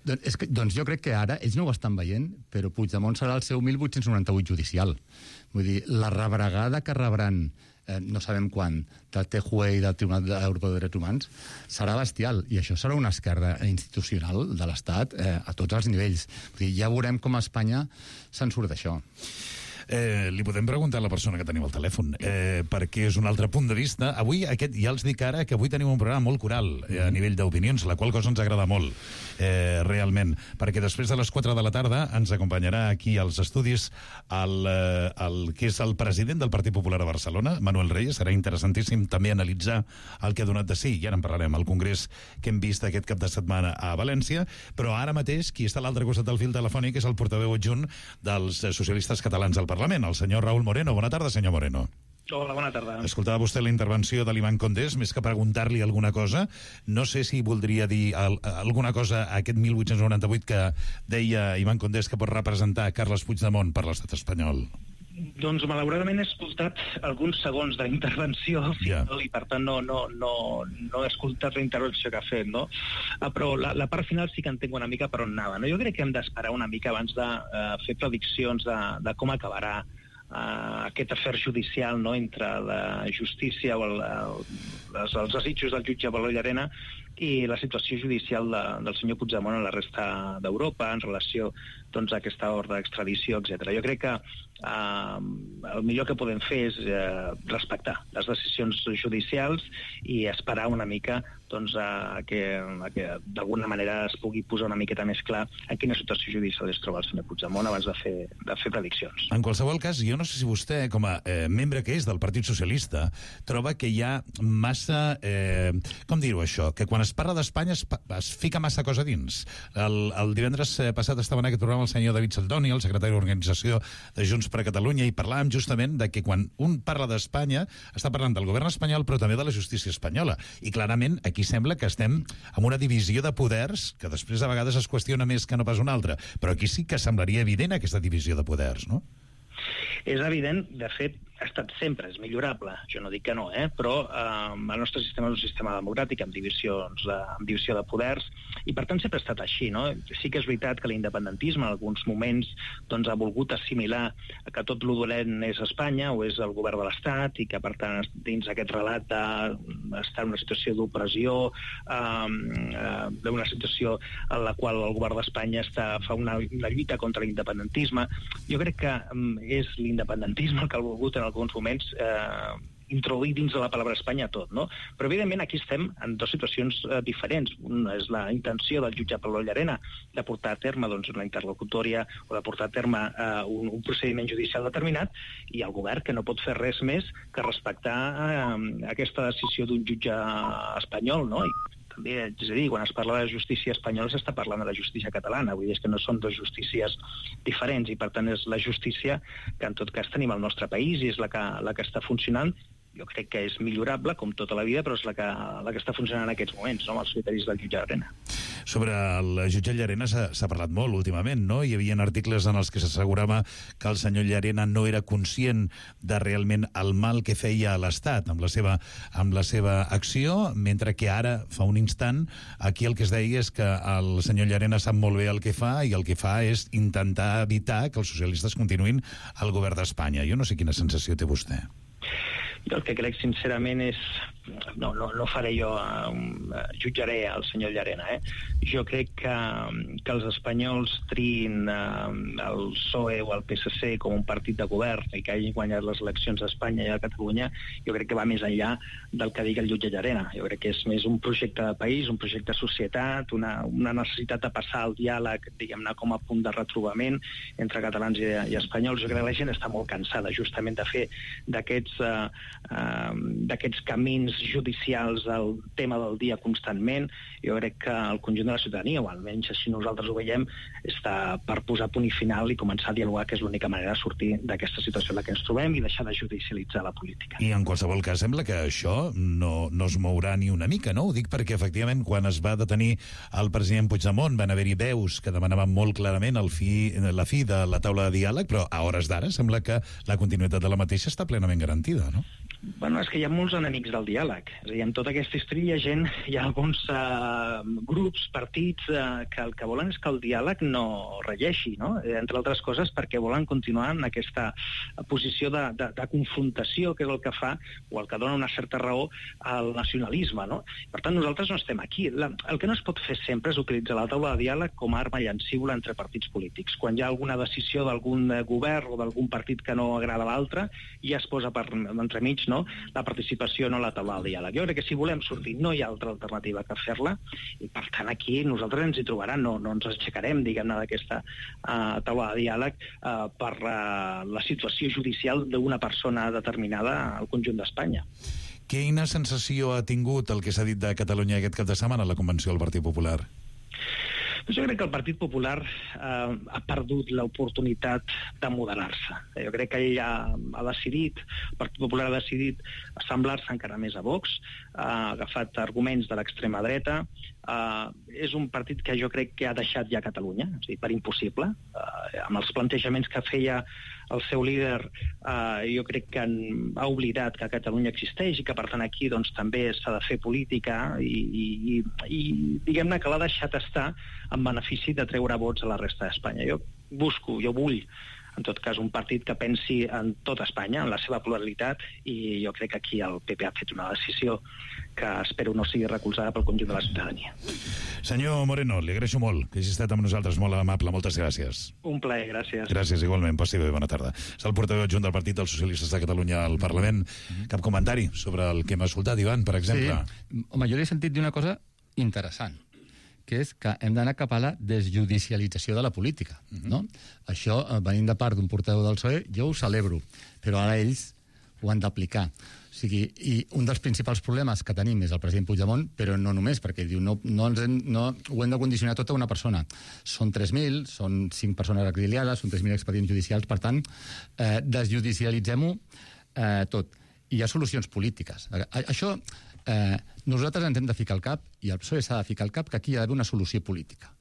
Doncs jo crec que ara ells no ho estan veient, però Puigdemont serà el seu 1898 judicial. Vull dir, la rebregada que rebran, no sabem quan, del TJUE i del Tribunal Europeu de Drets Humans, serà bestial, i això serà una esquerda institucional de l'Estat a tots els nivells. Vull dir, ja veurem com a Espanya se'n surt d'això. Li podem preguntar a la persona que tenim al telèfon, perquè és un altre punt de vista. Avui, ja els dic ara que avui tenim un programa molt coral a nivell d'opinions, la qual cosa ens agrada molt, realment, perquè després de les 4 de la tarda ens acompanyarà aquí als estudis el que és el president del Partit Popular a Barcelona, Manuel Reyes. Serà interessantíssim també analitzar el que ha donat de sí, i ara en parlarem, al congrés que hem vist aquest cap de setmana a València, però ara mateix qui està a l'altre costat del fil telefònic és el portaveu adjunt dels socialistes catalans al Parlament, el senyor Raúl Moreno. Bona tarda, senyor Moreno. Hola, bona tarda. Escoltava vostè la intervenció de l'Ivan Condés, més que preguntar-li alguna cosa. No sé si voldria dir alguna cosa a aquest 1898 que deia Ivan Condés que pot representar Carles Puigdemont per l'estat espanyol. Doncs malauradament he escoltat alguns segons de la intervenció final i per tant no he escoltat la intervenció que ha fet, no? Però la part final sí que entenc una mica per on anava, no? Jo crec que hem d'esperar una mica abans de fer prediccions de com acabarà aquest afer judicial, no?, entre la justícia o els desitjos del jutge Valor Llarena i la situació judicial del senyor Puigdemont a la resta d'Europa en relació, doncs, a aquesta ordre d'extradició, etc. Jo crec que el millor que podem fer és respectar les decisions judicials i esperar una mica, doncs, que d'alguna manera es pugui posar una miqueta més clar en quina situació judicial es troba el senyor Puigdemont abans de fer prediccions. En qualsevol cas, jo no sé si vostè, com a membre que és del Partit Socialista, troba que hi ha massa... com dir-ho, això? Que quan es parla d'Espanya es fica massa cosa dins. El divendres passat estava en aquest programa el senyor David Saldoni, el secretari d'Organització de Junts per Catalunya, i parlàvem justament de que quan un parla d'Espanya està parlant del govern espanyol però també de la justícia espanyola, i clarament aquí aquí sembla que estem amb una divisió de poders que després a vegades es qüestiona més que no pas una altra, però aquí sí que semblaria evident aquesta divisió de poders, no? És evident, de fet, ha estat sempre, és millorable, jo no dic que no, però el nostre sistema és un sistema democràtic amb divisió de poders, i per tant sempre ha estat així, no? Sí que és veritat que l'independentisme en alguns moments doncs, ha volgut assimilar que tot lo dolent és Espanya o és el govern de l'Estat i que per tant dins aquest relat d'estar en una situació d'opressió, d'una situació en la qual el govern d'Espanya fa una lluita contra l'independentisme. Jo crec que és l'independentisme el que ha volgut en alguns moments introduir dins de la paraula Espanya tot, no? Però evidentment aquí estem en dues situacions diferents. Una és la intenció del jutge Pablo Llarena de portar a terme doncs, una interlocutòria o de portar a terme un procediment judicial determinat, i el govern que no pot fer res més que respectar aquesta decisió d'un jutge espanyol, no? I també, és a dir, quan es parla de justícia espanyola s'està parlant de la justícia catalana, vull dir que no són dues justícies diferents, i per tant és la justícia que en tot cas tenim al nostre país i és la que està funcionant. Jo crec que és millorable, com tota la vida, però és la que està funcionant en aquests moments, no? Amb els criteris del jutge Llarena. Sobre el jutge Llarena s'ha parlat molt últimament, no? Hi havia articles en els que s'assegurava que el senyor Llarena no era conscient de realment el mal que feia a l'Estat amb la seva acció, mentre que ara, fa un instant, aquí el que es deia és que el senyor Llarena sap molt bé el que fa i el que fa és intentar evitar que els socialistes continuïn al govern d'Espanya. Jo no sé quina sensació té vostè. Jo el que crec sincerament és... No faré jo, jutjaré el senyor Llarena, Jo crec que els espanyols triïn el PSOE o el PSC com un partit de govern i que hagin guanyat les eleccions a Espanya i a Catalunya, jo crec que va més enllà del que digui el jutge Llarena. Jo crec que és més un projecte de país, un projecte de societat, una necessitat de passar al diàleg, diguem-ne, com a punt de retrobament entre catalans i espanyols. Jo crec que la gent està molt cansada justament de fer d'aquests camins judicials el tema del dia constantment. Jo crec que el conjunt de la ciutadania, o almenys així nosaltres ho veiem, està per posar punt i final i començar a dialogar, que és l'única manera de sortir d'aquesta situació en la que ens trobem i deixar de judicialitzar la política. I en qualsevol cas sembla que això no es mourà ni una mica, no? Ho dic perquè efectivament quan es va detenir el president Puigdemont van haver-hi veus que demanaven molt clarament la fi de la taula de diàleg, però a hores d'ara sembla que la continuïtat de la mateixa està plenament garantida, no? Bueno, és que hi ha molts enemics del diàleg. És a dir, en tota aquesta història hi ha alguns grups, partits, que el que volen és que el diàleg no regeixi, no? Entre altres coses perquè volen continuar en aquesta posició de confrontació, que és el que fa, o el que dona una certa raó al nacionalisme, no? Per tant, nosaltres no estem aquí. El que no es pot fer sempre és utilitzar la taula de diàleg com a arma llancívola entre partits polítics. Quan hi ha alguna decisió d'algun govern o d'algun partit que no agrada a l'altre, ja es posa entremig, no? La participació no la taula de diàleg. Jo crec que si volem sortir no hi ha altra alternativa que fer-la, i per tant aquí nosaltres ens hi trobaran, no ens aixecarem, diguem-ne, d'aquesta taula de diàleg per la situació judicial d'una persona determinada al conjunt d'Espanya. Quina sensació ha tingut el que s'ha dit de Catalunya aquest cap de setmana a la convenció del Partit Popular? Jo crec que el Partit Popular ha perdut l'oportunitat de moderar-se. Jo crec que ell ha decidit, el Partit Popular ha decidit assemblar-se encara més a Vox, ha agafat arguments de l'extrema dreta, és un partit que jo crec que ha deixat ja Catalunya, és a dir, per impossible, amb els plantejaments que feia el seu líder, jo crec que ha oblidat que Catalunya existeix i que per tant aquí doncs, també s'ha de fer política i diguem-ne que l'ha deixat estar en benefici de treure vots a la resta d'Espanya. Jo vull en tot cas un partit que pensi en tota Espanya, en la seva pluralitat, i jo crec que aquí el PP ha fet una decisió que espero no sigui recolzada pel conjunt de la ciutadania. Senyor Moreno, li agraeixo molt que hagi estat amb nosaltres, molt amable, moltes gràcies. Un plaer, gràcies. Gràcies, igualment, passi bé, bona tarda. És el portaveu adjunt del Partit dels Socialistes de Catalunya al Parlament. Cap comentari sobre el que hem escoltat, Ivan, per exemple? Sí, home, jo li he sentit dir una cosa interessant, que és que hem d'anar cap a la desjudicialització de la política, no? Això, venint de part d'un portaveu del PSOE, jo ho celebro, però ara ells ho han d'aplicar. O sigui, i un dels principals problemes que tenim és el president Puigdemont, però no només, perquè diu no ho hem de condicionar tot a una persona. Són 3.000, són 5 persones exiliades, són 3.000 expedients judicials, per tant, desjudicialitzem-ho tot. I hi ha solucions polítiques. Això nosaltres ens hem de ficar al cap, i el PSOE s'ha de ficar al cap, que aquí hi ha d'haver una solució política.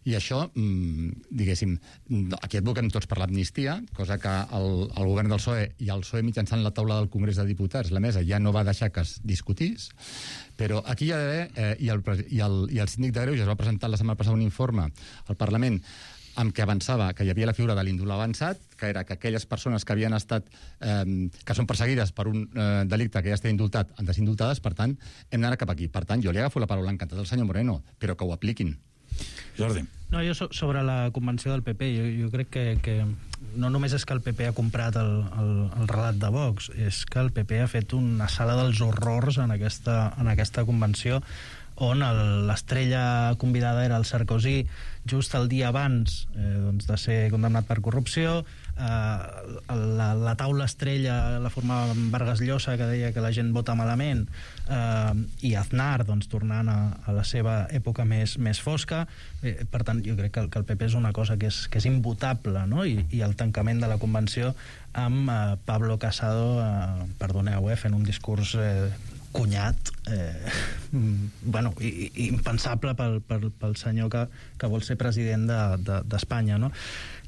I això, diguéssim, aquí advoquem tots per l'amnistia, cosa que el govern del PSOE i el PSOE mitjançant la taula del Congrés de Diputats, la mesa, ja no va deixar que es discutís, però aquí hi ha d'haver, i el síndic de Greuges va presentar la setmana passada un informe al Parlament amb què avançava que hi havia la figura de l'indult avançat, que era que aquelles persones que havien estat, que són perseguides per un delicte que ja està indultat, han de ser indultades, per tant, hem d'anar cap aquí. Per tant, jo li agafo la paraula encantat al senyor Moreno, però que ho apliquin. Jordi. No, jo sobre la convenció del PP, jo crec que no només és que el PP ha comprat el relat de Vox, és que el PP ha fet una sala dels horrors en aquesta convenció, on l'estrella convidada era el Sarkozy, just el dia abans de ser condemnat per corrupció. La taula estrella la formava Vargas Llosa, que deia que la gent vota malament, i Aznar tornant a la seva època més fosca. Per tant, jo crec que el PP és una cosa que és imbutable, no? I el tancament de la convenció amb Pablo Casado, perdoneu, fent un discurs cunyat, impensable pel senyor que vol ser president d'Espanya, no?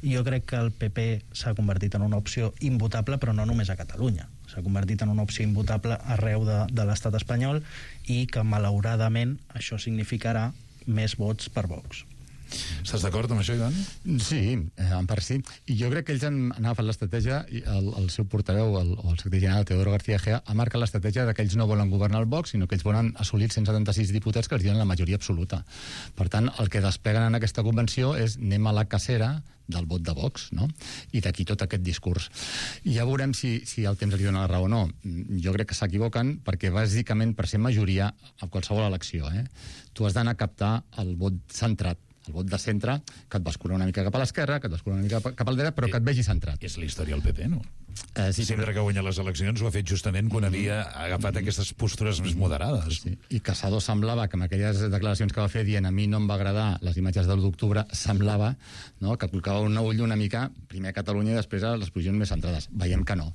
Jo crec que el PP s'ha convertit en una opció imbutable, però no només a Catalunya. S'ha convertit en una opció imbutable arreu de l'estat espanyol, i que malauradament això significarà més vots per Vox. Estàs d'acord amb això, Ivan? Sí, en part sí. I jo crec que ells han agafat l'estratègia, i el seu portaveu, el secretari general, Teodoro García Egea, ha marcat l'estratègia que ells no volen governar el Vox, sinó que ells volen assolir 176 diputats que els diuen la majoria absoluta. Per tant, el que despleguen en aquesta convenció és anem a la cacera del vot de Vox, no? I d'aquí tot aquest discurs. I ja veurem si el temps li dona la raó o no. Jo crec que s'equivoquen, perquè bàsicament per ser majoria a qualsevol elecció, tu has d'anar a captar el vot centrat, el vot de centre, que et bascula una mica cap a l'esquerra, que et bascula una mica cap al dret, però que et vegi centrat. És la història del PP, no? Sí, sempre que ha guanyat les eleccions ho ha fet justament quan havia agafat aquestes postures més moderades. Sí. I Casado semblava que amb aquelles declaracions que va fer dient a mi no em va agradar les imatges de l'1 d'octubre, semblava, no?, que colcava un ull una mica primer a Catalunya i després a les posicions més centrades. Veiem que no.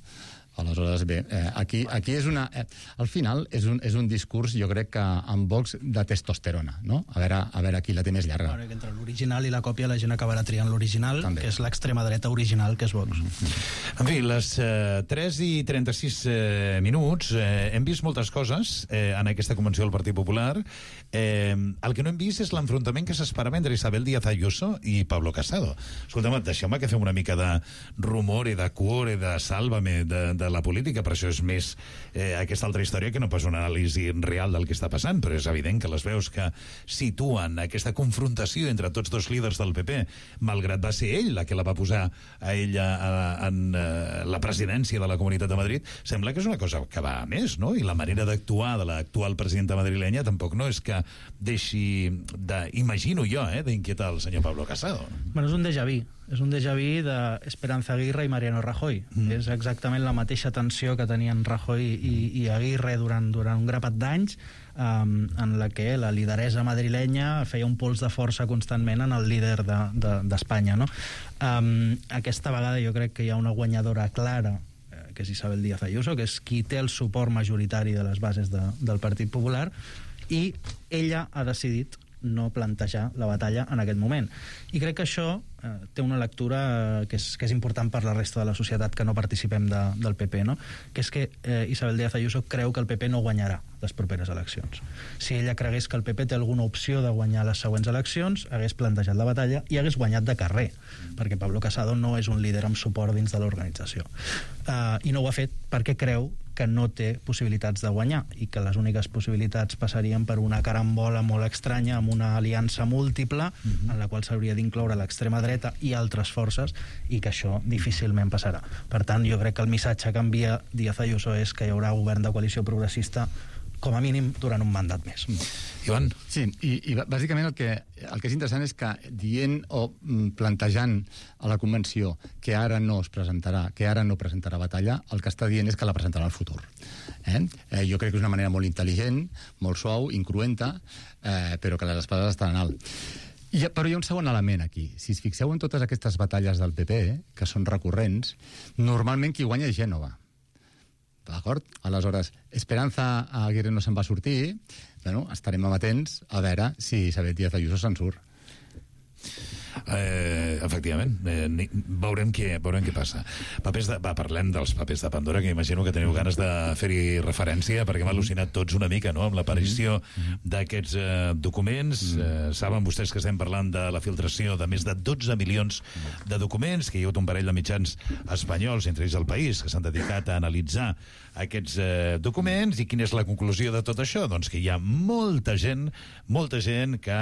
Aleshores, bé, aquí és una... Al final és un discurs, jo crec que amb Vox de testosterona, no? A veure qui la té més llarga. Bueno, entre l'original i la còpia la gent acabarà triant l'original, que és l'extrema dreta original, que és Vox. En fi, les 3:36 minuts, hem vist moltes coses en aquesta convenció del Partit Popular. El que no hem vist és l'enfrontament que s'esperava entre Isabel Díaz Ayuso i Pablo Casado. Escolta'm, deixeu-me que fem una mica de rumor i de cuore, de sálvame, de la política, però això és més aquesta altra història que no pas una anàlisi real del que està passant, però és evident que les veus que situen aquesta confrontació entre tots dos líders del PP, malgrat va ser ell la que la va posar a ella en la presidència de la Comunitat de Madrid, sembla que és una cosa que va a més, no? I la manera d'actuar de l'actual presidenta madrilenya tampoc no és que deixi imagino jo, d'inquietar el senyor Pablo Casado. Bueno, és un déjà vu. És un déjà vu d'Esperanza Aguirre i Mariano Rajoy. És exactament la mateixa tensió que tenien Rajoy i Aguirre durant un grapat d'anys, en la que la lideresa madrilenya feia un pols de força constantment en el líder d'Espanya, no? Aquesta vegada jo crec que hi ha una guanyadora clara, que és Isabel Díaz Ayuso, que és qui té el suport majoritari de les bases del Partit Popular, i ella ha decidit no plantejar la batalla en aquest moment. I crec que això té una lectura que és important per la resta de la societat que no participem del PP, no? Que és que Isabel Díaz Ayuso creu que el PP no guanyarà les properes eleccions. Si ella cregués que el PP té alguna opció de guanyar les següents eleccions, hagués plantejat la batalla i hagués guanyat de carrer, perquè Pablo Casado no és un líder amb suport dins de l'organització. I no ho ha fet perquè creu que no té possibilitats de guanyar, i que les úniques possibilitats passarien per una carambola molt estranya, amb una aliança múltiple, en la qual s'hauria d'incloure l'extrema dreta i altres forces, i que això difícilment passarà. Per tant, jo crec que el missatge que envia Díaz Ayuso és que hi haurà govern de coalició progressista com a mínim durant un mandat més. Ivan? Sí, i bàsicament el que és interessant és que dient o plantejant a la convenció que ara no es presentarà, que ara no presentarà batalla, el que està dient és que la presentarà al futur. Jo crec que és una manera molt intel·ligent, molt suau, incruenta, però que les espades estan alt. Però hi ha un segon element aquí. Si es fixeu en totes aquestes batalles del PP, que són recurrents, normalment qui guanya és Gènova. d'acord? Aleshores, Esperanza Aguirre no se'n va sortir, bueno, estarem amatents a veure si Isabel Díaz Ayuso se'n surt. Efectivament, veurem què passa. Parlem dels papers de Pandora, que imagino que teniu ganes de fer-hi referència, perquè hem al·lucinat tots una mica, no?, amb l'aparició d'aquests documents. Saben vostès que estem parlant de la filtració de més de 12 milions de documents, que hi ha hagut un parell de mitjans espanyols, entre ells El País, que s'han dedicat a analitzar aquests documents. I quina és la conclusió de tot això? Doncs que hi ha molta gent que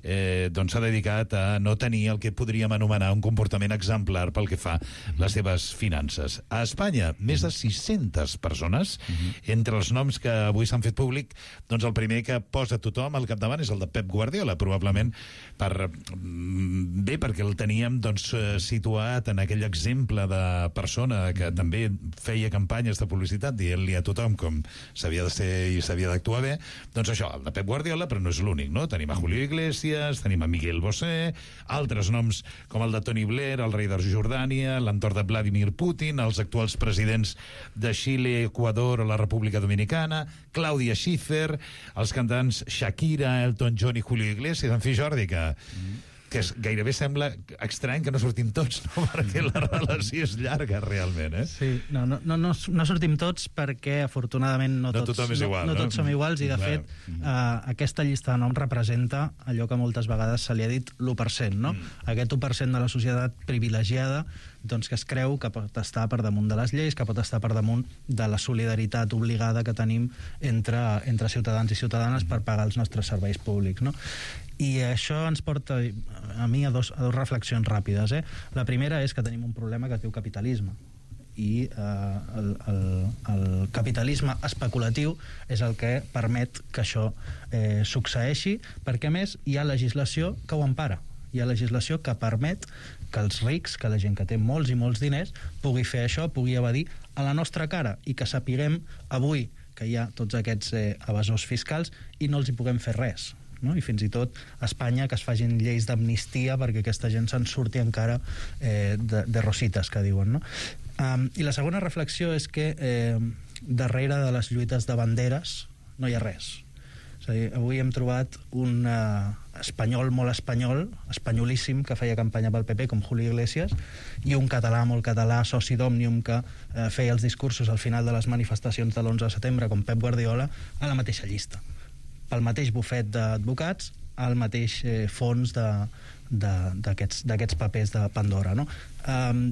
s'ha dedicat a no tenir el que podríem anomenar un comportament exemplar pel que fa a les seves finances. A Espanya, més de 600 persones. Entre els noms que avui s'han fet públic, doncs el primer que posa tothom al capdavant és el de Pep Guardiola, probablement perquè el teníem situat en aquell exemple de persona que també feia campanyes de publicitat dient-li a tothom com s'havia de ser i s'havia d'actuar bé. Doncs això, el de Pep Guardiola, però no és l'únic, no? Tenim a Julio Iglesias, tenim a Miguel Bosé, altres noms com el de Tony Blair, el rei de Jordània, l'entorn de Vladimir Putin, els actuals presidents de Xile, Equador o la República Dominicana, Clàudia Schiffer, els cantants Shakira, Elton John i Julio Iglesias. En fi, Jordi, que gairebé sembla estrany que no sortim tots, no? Perquè la relació és llarga, realment, eh? Sí, no sortim tots perquè, afortunadament, no tots som iguals, i, de fet, aquesta llista de noms representa allò que moltes vegades se li ha dit l'1%, no? Aquest 1% de la societat privilegiada, doncs, que es creu que pot estar per damunt de les lleis, que pot estar per damunt de la solidaritat obligada que tenim entre ciutadans i ciutadanes per pagar els nostres serveis públics, no? I això ens porta a mi a dos reflexions ràpides. La primera és que tenim un problema que es diu capitalisme, i el capitalisme especulatiu és el que permet que això succeeixi, perquè a més hi ha legislació que ho empara. Hi ha legislació que permet que els rics, que la gent que té molts i molts diners, pugui fer això, pugui evadir a la nostra cara, i que sapiguem avui que hi ha tots aquests evasors fiscals i no els hi puguem fer res, no? I fins i tot a Espanya que es facin lleis d'amnistia perquè aquesta gent se'n surti encara de rosites, que diuen, no? I la segona reflexió és que darrere de les lluites de banderes no hi ha res. És a dir, avui hem trobat un espanyol molt espanyol, espanyolíssim, que feia campanya pel PP, com Julio Iglesias, i un català molt català, soci d'Òmnium, que feia els discursos al final de les manifestacions de l'11 de setembre, com Pep Guardiola, a la mateixa llista, pel mateix bufet d'advocats, al mateix fons d'aquests papers de Pandora, no?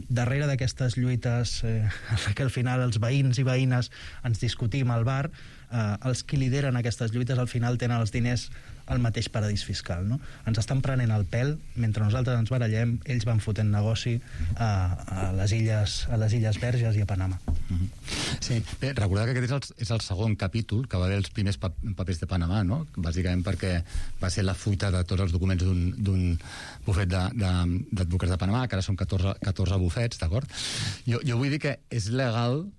Darrere d'aquestes lluites que al final els veïns i veïnes ens discutim al bar, els qui lideren aquestes lluites al final tenen els diners al mateix paradís fiscal, no? Ens estan prenent el pèl, mentre nosaltres ens barallem, ells van fotent negoci a les Illes Verges i a Panamà. Sí, bé, recordar que aquest és el segon capítol que va haver els primers papers de Panamà, no? Bàsicament perquè va ser la fuita de tots els documents d'un bufet d'advocats de Panamà, que ara són 14 bufets, d'acord? Jo vull dir que és legal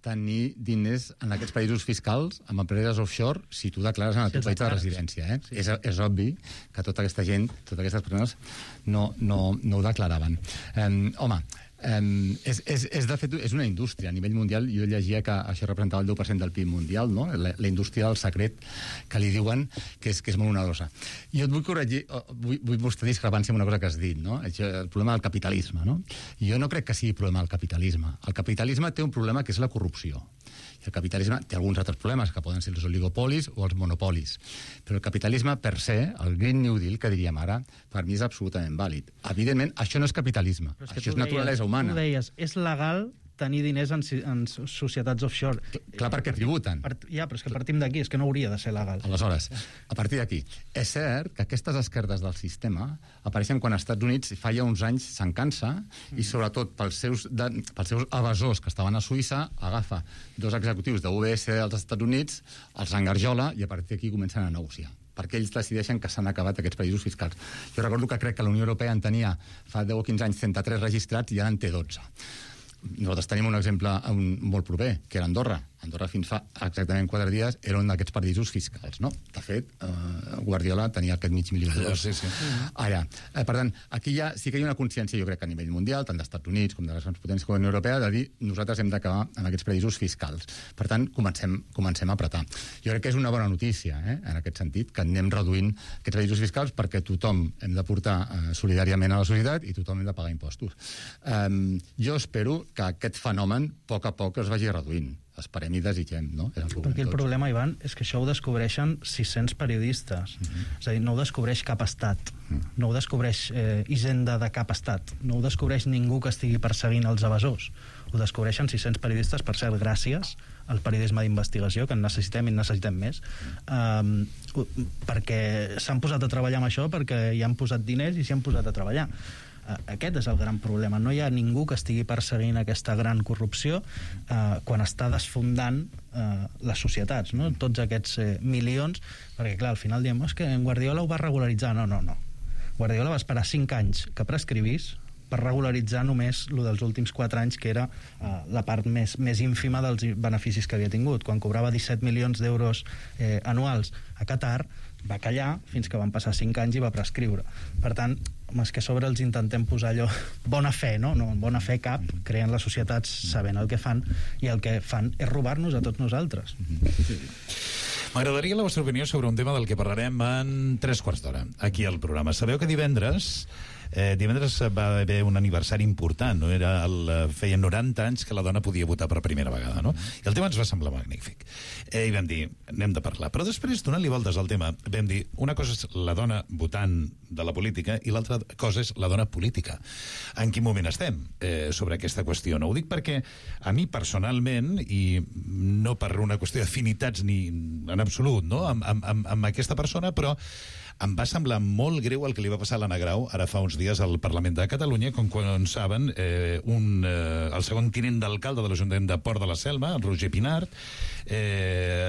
tenir diners en aquests països fiscals amb empreses offshore si tu declares en el teu país de residència. Sí. És obvi que tota aquesta gent, totes aquestes persones no ho declaraven. De fet, és una indústria a nivell mundial. Jo llegia que això representava el 10% del PIB mundial, no? La indústria del secret, que li diuen que és molt onerosa. Jo et vull corregir, vull mostrar discrepància amb una cosa que has dit, no? El problema del capitalisme, no? Jo no crec que sigui problema del capitalisme. El capitalisme té un problema que és la corrupció. I el capitalisme té alguns altres problemes, que poden ser els oligopolis o els monopolis. Però el capitalisme, per se, el Green New Deal, que diríem ara, per mi és absolutament vàlid. Evidentment, això no és capitalisme, això és naturalesa humana. Tu deies, és legal tenir diners en societats offshore. Clar, perquè tributen. Ja, però és que partim d'aquí, és que no hauria de ser legal. Aleshores, a partir d'aquí, és cert que aquestes esquerdes del sistema apareixen quan als Estats Units fa ja uns anys se'n cansa, i sobretot pels seus evasors que estaven a Suïssa, agafa dos executius de UBS dels Estats Units, els engarjola, i a partir d'aquí comencen a negociar, perquè ells decideixen que s'han acabat aquests països fiscals. Jo recordo que crec que la Unió Europea en tenia fa 10 o 15 anys 33 registrats i ara en té 12. Nosaltres tenim un exemple molt proper, que era Andorra. Andorra fins fa exactament 4 dies era un d'aquests paradisos fiscals, no? De fet, Guardiola tenia aquest mig milió d'euros. Sí. Allà. Per tant, aquí sí que hi ha una consciència, jo crec que a nivell mundial, tant dels Estats Units com de les grans potències com la Unió Europea, de dir nosaltres hem d'acabar amb aquests paradisos fiscals. Per tant, comencem a apretar. Jo crec que és una bona notícia, en aquest sentit, que anem reduint aquests paradisos fiscals perquè tothom hem de portar solidàriament a la societat i tothom hem de pagar impostos. Jo espero que aquest fenomen, a poc es vagi reduint. Esperem i desitgem, no? Perquè el problema, Ivan, és que això ho descobreixen 600 periodistes. És a dir, no ho descobreix cap estat. No ho descobreix Hisenda de cap estat. No ho descobreix ningú que estigui perseguint els evasors. Ho descobreixen 600 periodistes, per cert, gràcies al periodisme d'investigació, que en necessitem i en necessitem més, perquè s'han posat a treballar amb això, perquè hi han posat diners i s'hi han posat a treballar. Aquest és el gran problema. No hi ha ningú que estigui perseguint aquesta gran corrupció quan està desfondant les societats, no? Tots aquests milions, perquè clar, al final diem, és que en Guardiola ho va regularitzar. No. Guardiola va esperar 5 anys que prescrivís per regularitzar només el dels últims 4 anys, que era la part més ínfima dels beneficis que havia tingut. Quan cobrava 17 milions d'euros anuals a Qatar, va callar fins que van passar 5 anys i va prescriure. Per tant, és que a sobre els intentem posar allò bona fe, no? No, bona fe cap, creen les societats sabent el que fan, i el que fan és robar-nos a tots nosaltres. M'agradaria la vostra opinió sobre un tema del que parlarem en 3/4 d'hora, aquí al programa. Sabeu que divendres va haver un aniversari important, no? Feia 90 anys que la dona podia votar per primera vegada, no? I el tema ens va semblar magnífic. I vam dir, anem de parlar. Però després, donant-li voltes al tema, vam dir, una cosa és la dona votant de la política i l'altra cosa és la dona política. En quin moment estem sobre aquesta qüestió? No ho dic perquè a mi personalment, i no per una qüestió d'afinitats ni en absolut, no? amb aquesta persona, però em va semblar molt greu el que li va passar a l'Anna Grau ara fa uns dies al Parlament de Catalunya, com quan saben el segon tinent d'alcalde de l'Ajuntament de Port de la Selva, el Roger Pinart,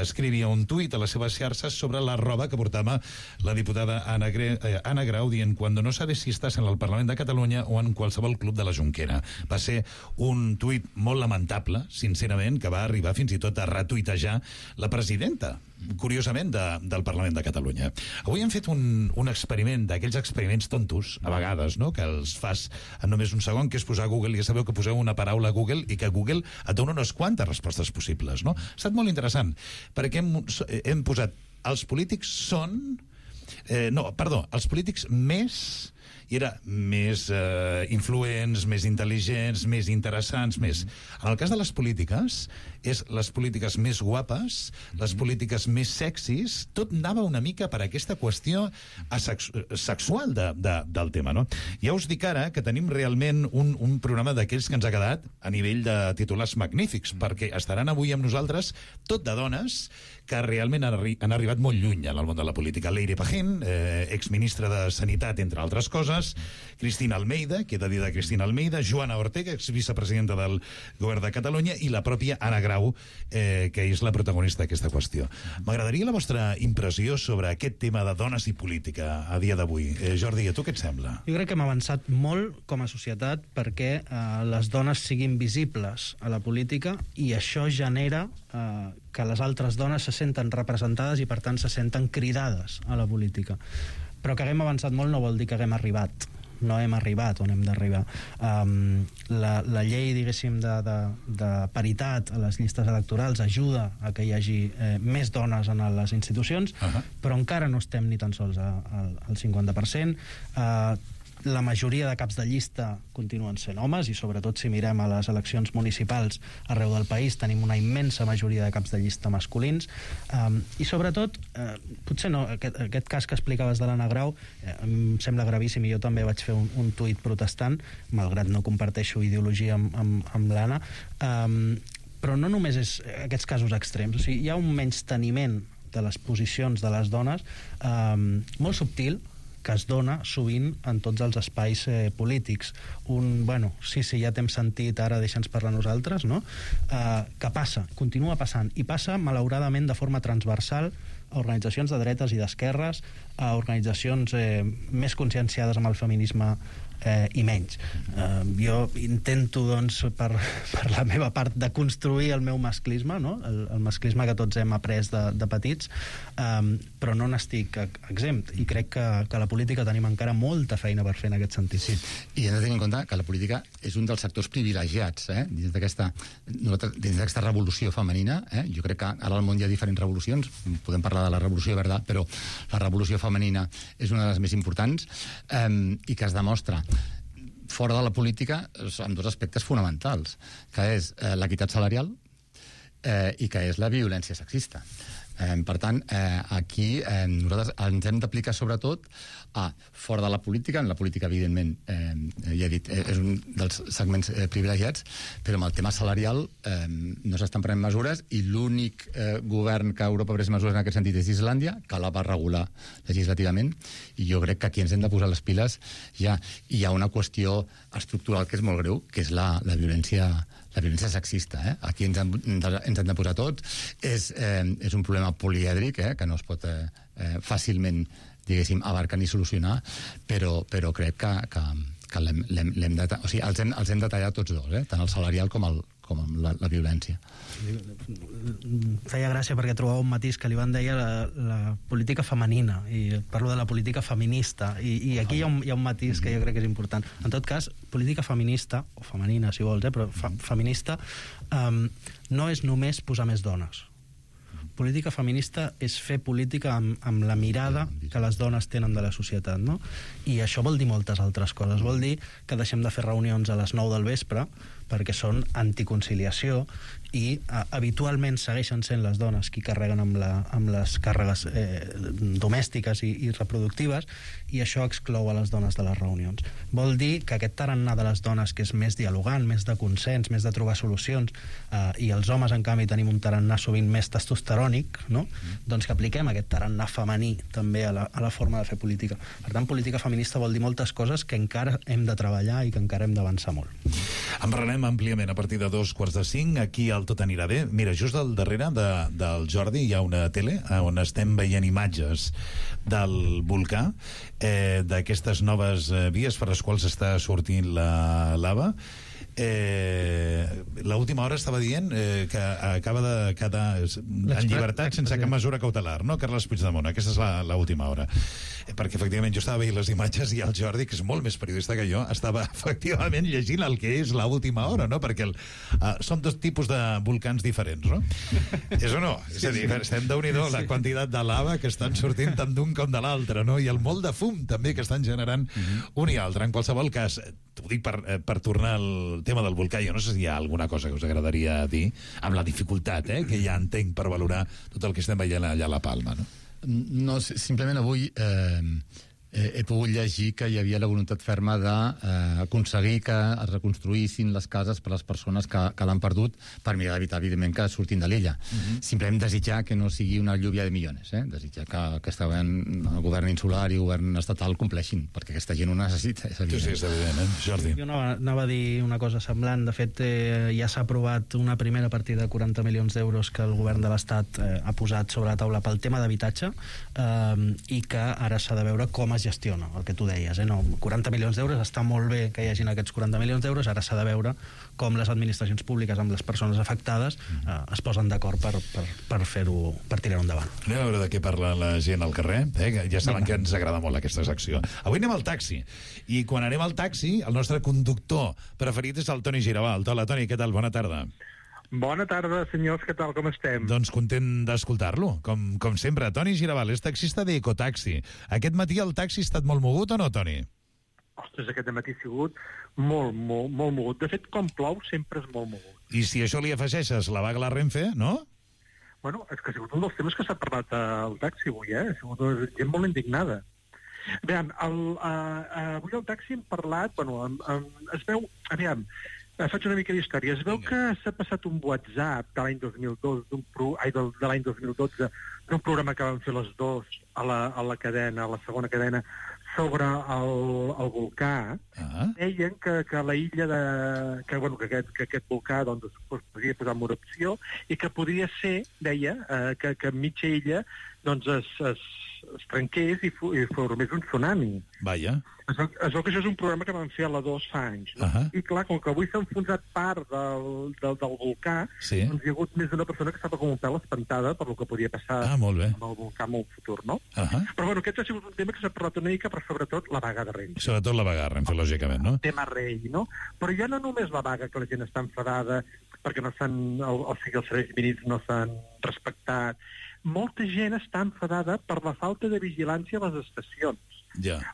escrivia un tuit a les seves xarxes sobre la roba que portava la diputada Anna Grau, dient «Cuando no sabes si estás en el Parlament de Catalunya o en qualsevol club de la Jonquera». Va ser un tuit molt lamentable, sincerament, que va arribar fins i tot a retuitejar la presidenta, curiosament, del Parlament de Catalunya. Avui hem fet un experiment, d'aquells experiments tontos, a vegades, no?, que els fas en només un segon, que és posar a Google, i ja sabeu que poseu una paraula a Google i que Google et dona unes quantes respostes possibles, no? Ha estat molt interessant, perquè hem posat els polítics són... els polítics més... i era més influents, més intel·ligents, més interessants, més... En el cas de les polítiques, és les polítiques més guapes, les polítiques més sexis, tot anava una mica per aquesta qüestió sexual del tema, no? Ja us dic ara que tenim realment un programa d'aquells que ens ha quedat a nivell de titulars magnífics, perquè estaran avui amb nosaltres tot de dones que realment han arribat molt lluny en el món de la política. Leire Pajín, exministra de Sanitat, entre altres coses, Cristina Almeida, que he de dir de Cristina Almeida, Joana Ortega, exvicepresidenta del Govern de Catalunya, i la pròpia Anna Grau, que és la protagonista d'aquesta qüestió. M'agradaria la vostra impressió sobre aquest tema de dones i política a dia d'avui. Jordi, a tu què et sembla? Jo crec que hem avançat molt com a societat perquè les dones siguin visibles a la política, i això genera que les altres dones se senten representades i per tant se senten cridades a la política. Però que haguem avançat molt no vol dir que haguem arribat. No hem arribat on hem d'arribar. La llei, diguéssim, de paritat a les llistes electorals ajuda a que hi hagi més dones en les institucions, però encara no estem ni tan sols al 50%. La majoria de caps de llista continuen sent homes, i sobretot si mirem a les eleccions municipals arreu del país tenim una immensa majoria de caps de llista masculins, i sobretot potser no, aquest cas que explicaves de l'Anna Grau em sembla gravíssim, i jo també vaig fer un tuit protestant, malgrat no comparteixo ideologia amb l'Anna, però no només és aquests casos extrems, o sigui, hi ha un menysteniment de les posicions de les dones molt subtil, que es dona sovint en tots els espais polítics. Sí, ja t'hem sentit, ara deixa'ns parlar nosaltres, no? Que passa, continua passant, i passa malauradament de forma transversal organitzacions de dretes i d'esquerres, a organitzacions més conscienciades amb el feminisme i menys. Jo intento, doncs, per la meva part, de construir el meu masclisme, no? El masclisme que tots hem après de petits, però no n'estic exempt, i crec que a la política tenim encara molta feina per fer en aquest sentit. Sí, i hem de tenir en compte que la política és un dels sectors privilegiats dins d'aquesta revolució femenina. Jo crec que ara al món hi ha diferents revolucions, podem parlar de la revolució verda, però la revolució femenina és una de les més importants, i que es demostra fora de la política en dos aspectes fonamentals, que és l'equitat salarial i que és la violència sexista. Per tant, aquí nosaltres ens hem d'aplicar sobretot fora de la política. En la política, evidentment, ja he dit, és un dels segments privilegiats, però amb el tema salarial no s'estan prenent mesures, i l'únic govern que a Europa ha pres mesures en aquest sentit és Islàndia, que la va regular legislativament, i jo crec que aquí ens hem de posar les piles ja. I hi ha una qüestió estructural que és molt greu, que és la violència sexista. Aquí ens hem de posar tots. És un problema polièdric, que no es pot fàcilment, diguéssim, abarcar ni solucionar, però crec que l'hem de... O sigui, els hem de tallar tots dos, tant el salarial com la violència. Feia gràcia perquè trobava un matís que l'Ivan deia la política femenina, i parlo de la política feminista, i aquí hi ha un matís que jo crec que és important. En tot cas, política feminista, o femenina si vols, però feminista no és només posar més dones. Política feminista és fer política amb la mirada que les dones tenen de la societat, no? I això vol dir moltes altres coses. Vol dir que deixem de fer reunions a les 9 del vespre perquè són anticonciliació, i habitualment segueixen sent les dones qui carreguen amb les càrregues domèstiques i reproductives, i això exclou a les dones de les reunions. Vol dir que aquest tarannà de les dones, que és més dialogant, més de consens, més de trobar solucions, i els homes, en canvi, tenim un tarannà sovint més testosterònic, no? Doncs que apliquem aquest tarannà femení també a la forma de fer política. Per tant, política feminista vol dir moltes coses que encara hem de treballar i que encara hem d'avançar molt. En parlarem àmpliament a partir de 4:45, aquí al Tot anirà bé. Mira, just al darrere del Jordi hi ha una tele on estem veient imatges del volcà, d'aquestes noves vies per les quals està sortint la lava. L'última hora estava dient que acaba de quedar en llibertat sense cap mesura cautelar, no, Carles Puigdemont? Aquesta és l'última hora. Perquè efectivament jo estava veient les imatges i el Jordi, que és molt més periodista que jo, estava efectivament llegint el que és l'última hora, no? Perquè són dos tipus de volcans diferents, no? És o no? És a dir, estem déu-n'hi-do la quantitat de lava que estan sortint tant d'un com de l'altre, no? I el molt de fum també que estan generant un i altre. En qualsevol cas, t'ho dic per tornar al tema del volcà, jo no sé si hi ha alguna cosa que us agradaria dir, amb la dificultat que ja entenc per valorar tot el que estem veient allà a la Palma, no? No, simplement avui he pogut llegir que hi havia la voluntat ferma d'aconseguir que es reconstruïssin les cases per les persones que l'han perdut, per mirar d'evitar, evidentment, que surtin de l'illa. Simplement desitjar que no sigui una lluvia de milions, desitjar que el govern insular i el govern estatal compleixin, perquè aquesta gent ho necessita, és evident. Sí, és evident, Jordi. Jo anava a dir una cosa semblant. De fet, ja s'ha aprovat una primera partida de 40 milions d'euros que el govern de l'Estat ha posat sobre la taula pel tema d'habitatge, i que ara s'ha de veure com es gestiona, el que tu deies, no? 40 milions d'euros, està molt bé que hi hagin aquests 40 milions d'euros, ara s'ha de veure com les administracions públiques amb les persones afectades es posen d'acord per fer-ho, per tirar-ho endavant. Anem a veure de què parla la gent al carrer, que ja saben que ens agrada molt aquesta secció. Avui anem al taxi, i quan anem al taxi, el nostre conductor preferit és el Toni Giravalt. Hola, Toni, què tal? Bona tarda. Bona tarda, senyors, què tal, com estem? Doncs content d'escoltar-lo, com sempre. Toni Giravalt és taxista d'Ecotaxi. Aquest matí el taxi ha estat molt mogut o no, Toni? Ostres, aquest matí ha sigut molt mogut. De fet, com plou, sempre és molt mogut. I si això li afegeixes la vaga a la Renfe, no? Bueno, és que ha sigut un dels temes que s'ha parlat al taxi avui, Ha sigut gent molt indignada. Aviam, avui al taxi hem parlat, es veu, Faig una mica d'història. Es veu que s'ha passat un WhatsApp de l'any 2012, de l'any 2012, d'un programa que van fer les dos a la cadena, a la segona cadena, sobre el volcà. Deien que la illa que aquest volcà doncs, es podria posar en erupció i que podria ser, deia, que mitja illa doncs es trenqués i formés un tsunami. Vaja. Es veu que això és un programa que van fer a la 2 fa anys. No? I clar, com que avui s'ha enfonsat part del volcà, doncs hi ha hagut més d'una persona que estava com un pèl espantada per el que podia passar amb el volcà en el futur, no? Però bueno, aquest ha sigut un tema que s'ha parlat una mica, però sobretot la vaga de Renfe. Sobretot la vaga de Renfe, lògicament, no? Tema rei, no? Però ja no només la vaga, que la gent està enfadada perquè no s'han, o sigui, els serveis mínims no s'han respectat. Molta gent està enfadada per la falta de vigilància a les estacions.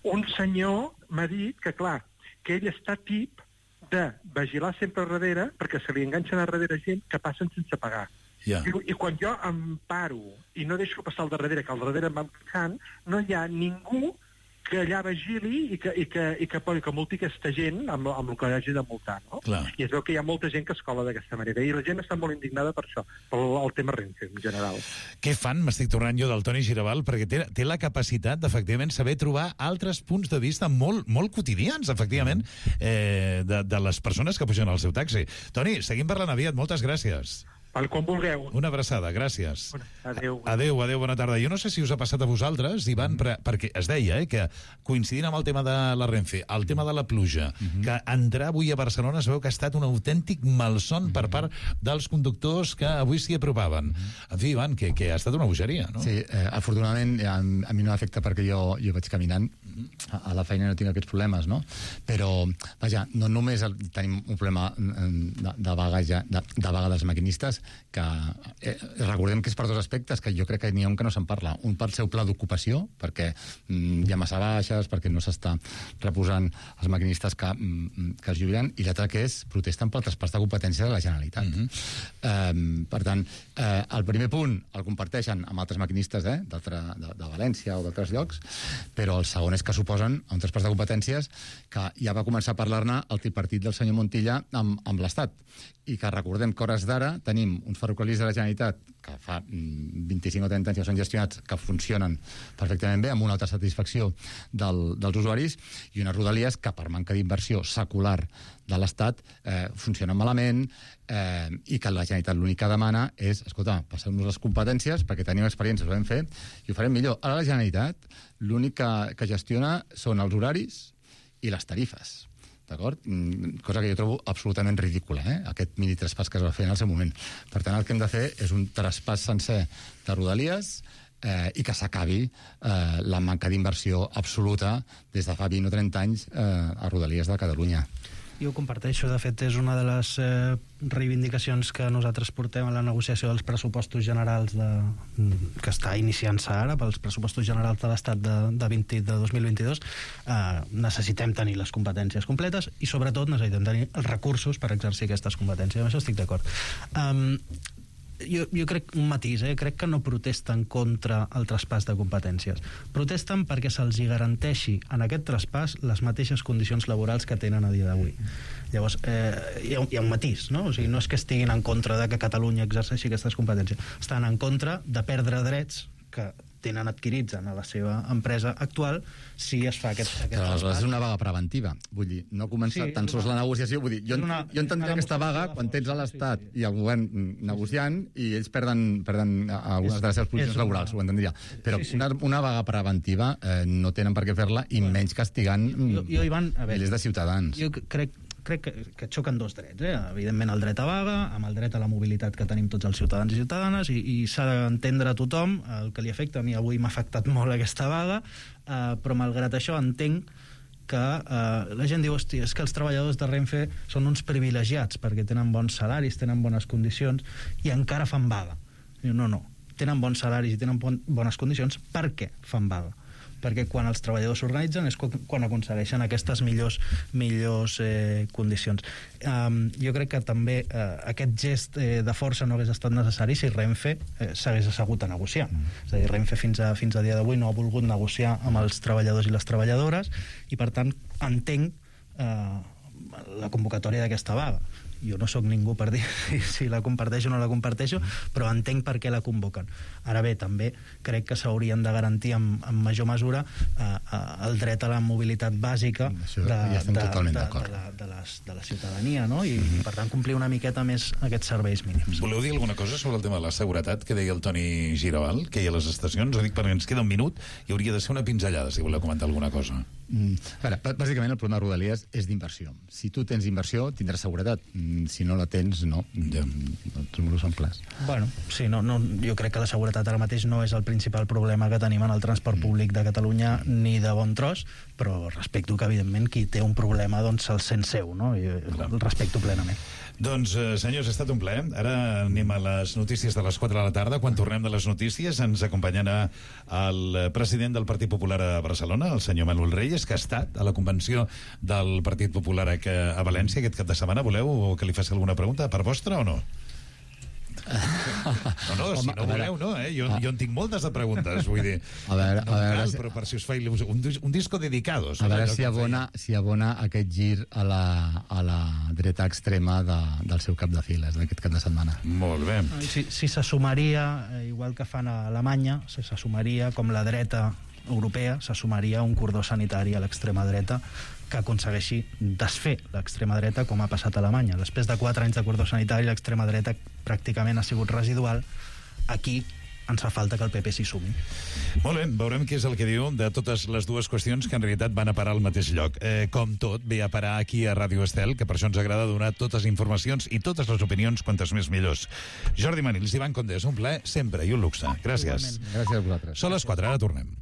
Un senyor m'ha dit que, clar, que ell està tip de vigilar sempre a darrere perquè se li enganxen a darrere gent que passen sense pagar. I quan jo em paro i no deixo passar al darrere, que al darrere em van passant, no hi ha ningú que allà vigili i que multi aquesta gent amb el que hagi de multar, no? I es veu que hi ha molta gent que es cola d'aquesta manera, i la gent està molt indignada per això, pel tema Renfe, en general. Què fan, m'estic tornant jo del Toni Girbal, perquè té la capacitat d'efectivament saber trobar altres punts de vista molt, molt quotidians, efectivament, de les persones que pugen al seu taxi. Toni, seguim parlant aviat, moltes gràcies. Quan vulgueu. Una abraçada, gràcies. Adéu. Adéu, bona tarda. Jo no sé si us ha passat a vosaltres, Ivan, perquè es deia que coincidint amb el tema de la Renfe, el tema de la pluja, que entrar avui a Barcelona es veu que ha estat un autèntic malson per part dels conductors que avui s'hi apropaven. En fi, Ivan, que ha estat una bogeria, no? Sí, afortunadament a mi no m'afecta perquè jo vaig caminant, a la feina no tinc aquests problemes, no? Però, vaja, no només tenim un problema de vaga dels maquinistes, que recordem que és per dos aspectes, que jo crec que n'hi ha un que no se'n parla. Un pel seu pla d'ocupació, perquè hi ha massa baixes, perquè no s'està reposant els maquinistes que es jubilen, i l'altre que és protesten pel traspàs de competència de la Generalitat. Per tant, el primer punt el comparteixen amb altres maquinistes de València o d'altres llocs, però el segon és que suposen un traspàs de competències que ja va començar a parlar-ne el tripartit del senyor Montilla amb l'Estat, i que recordem que hores d'ara tenim uns ferrocarrils de la Generalitat que fa 25 o 30 anys que són gestionats, que funcionen perfectament bé, amb una alta satisfacció dels usuaris, i unes rodalies que per manca d'inversió secular de l'Estat funcionen malament, i que la Generalitat l'únic que demana és, escolta, passeu-nos les competències perquè tenim experiències, ho vam fer i ho farem millor. Ara la Generalitat l'únic que gestiona són els horaris i les tarifes. D'acord? Cosa que jo trobo absolutament ridícula, aquest mini traspàs que es va fer en el seu moment. Per tant, el que hem de fer és un traspàs sencer de rodalies i que s'acabi la manca d'inversió absoluta des de fa 20 o 30 anys a rodalies de Catalunya. Jo ho comparteixo. De fet, és una de les reivindicacions que nosaltres portem a la negociació dels pressupostos generals que està iniciant-se ara, pels pressupostos generals de l'Estat de 2022. Necessitem tenir les competències completes i, sobretot, necessitem tenir els recursos per exercir aquestes competències. Amb això estic d'acord. Jo crec un matís, crec que no protesten contra el traspàs de competències. Protesten perquè se'ls garanteixi en aquest traspàs les mateixes condicions laborals que tenen a dia d'avui. Llavors, hi ha un matís, no? O sigui, no és que estiguin en contra de que Catalunya exerceixi aquestes competències. Estan en contra de perdre drets que tenen adquirits en la seva empresa actual si es fa aquest traspàs. És una vaga preventiva. Vull dir, no comença tan sols la negociació. Vull dir, jo entendria aquesta vaga quan tens a l'Estat i el govern negociant i ells perden algunes de les seves posicions laborals, ho entendria. Però una vaga preventiva no tenen per què fer-la i menys castigant milers de ciutadans. Jo crec que xoquen dos drets, evidentment el dret a vaga amb el dret a la mobilitat que tenim tots els ciutadans i ciutadanes, i s'ha d'entendre a tothom el que li afecta. A mi avui m'ha afectat molt aquesta vaga, però malgrat això entenc que la gent diu, hòstia, és que els treballadors de Renfe són uns privilegiats perquè tenen bons salaris, tenen bones condicions i encara fan vaga. No, tenen bons salaris i tenen bones condicions. Per què fan vaga? Perquè quan els treballadors s'organitzen és quan aconsegueixen aquestes millors condicions. Jo crec que també aquest gest de força no hagués estat necessari si Renfe s'hagués assegut a negociar. És a dir, Renfe fins a dia d'avui no ha volgut negociar amb els treballadors i les treballadores i, per tant, entenc la convocatòria d'aquesta vaga. Jo no sóc ningú per dir si la comparteixo o no la comparteixo, però entenc per què la convoquen. Ara bé, també crec que s'haurien de garantir en major mesura el dret a la mobilitat bàsica de la ciutadania, no? I per tant complir una miqueta més aquests serveis mínims. Voleu dir alguna cosa sobre el tema de la seguretat que deia el Toni Giravall, que hi ha a les estacions? Ho dic perquè ens queda un minut i hauria de ser una pinzellada, si voleu comentar alguna cosa. Bàsicament el problema de Rodalies és d'inversió. Si tu tens inversió, tindràs seguretat. Si no la tens, no. Els números són clars. Bueno, sí, jo crec que la seguretat ara mateix no és el principal problema que tenim en el transport públic de Catalunya ni de bon tros, però respecto que, evidentment, qui té un problema doncs se'l sent seu, no? I el respecto plenament. Doncs, senyors, ha estat un plaer. Ara anem a les notícies de les 4 de la tarda. Quan tornem de les notícies ens acompanyarà el president del Partit Popular a Barcelona, el senyor Manuel Reyes, que ha estat a la convenció del Partit Popular a València aquest cap de setmana. Voleu que li faci alguna pregunta per vostra o no? No, si no voleu, no, jo en tinc moltes de preguntes, vull dir. A veure, però per si us fa un disco dedicado. A veure si abona aquest gir a la dreta extrema del seu cap de files d'aquest cap de setmana. Molt bé. Si se sumaria, igual que fan a Alemanya, se sumaria com la dreta europea, se sumaria un cordó sanitari a l'extrema dreta que aconsegueixi desfer l'extrema dreta com ha passat a Alemanya. Després de 4 anys de cordó sanitari, l'extrema dreta pràcticament ha sigut residual. Aquí ens fa falta que el PP s'hi sumi. Molt bé, veurem què és el que diu de totes les dues qüestions que en realitat van a parar al mateix lloc. Com tot, ve a parar aquí a Ràdio Estel, que per això ens agrada donar totes les informacions i totes les opinions, quantes més millors. Jordi Manils, Ivan Condés, un plaer sempre i un luxe. Gràcies. Gràcies a vosaltres. Són les 4, ara tornem.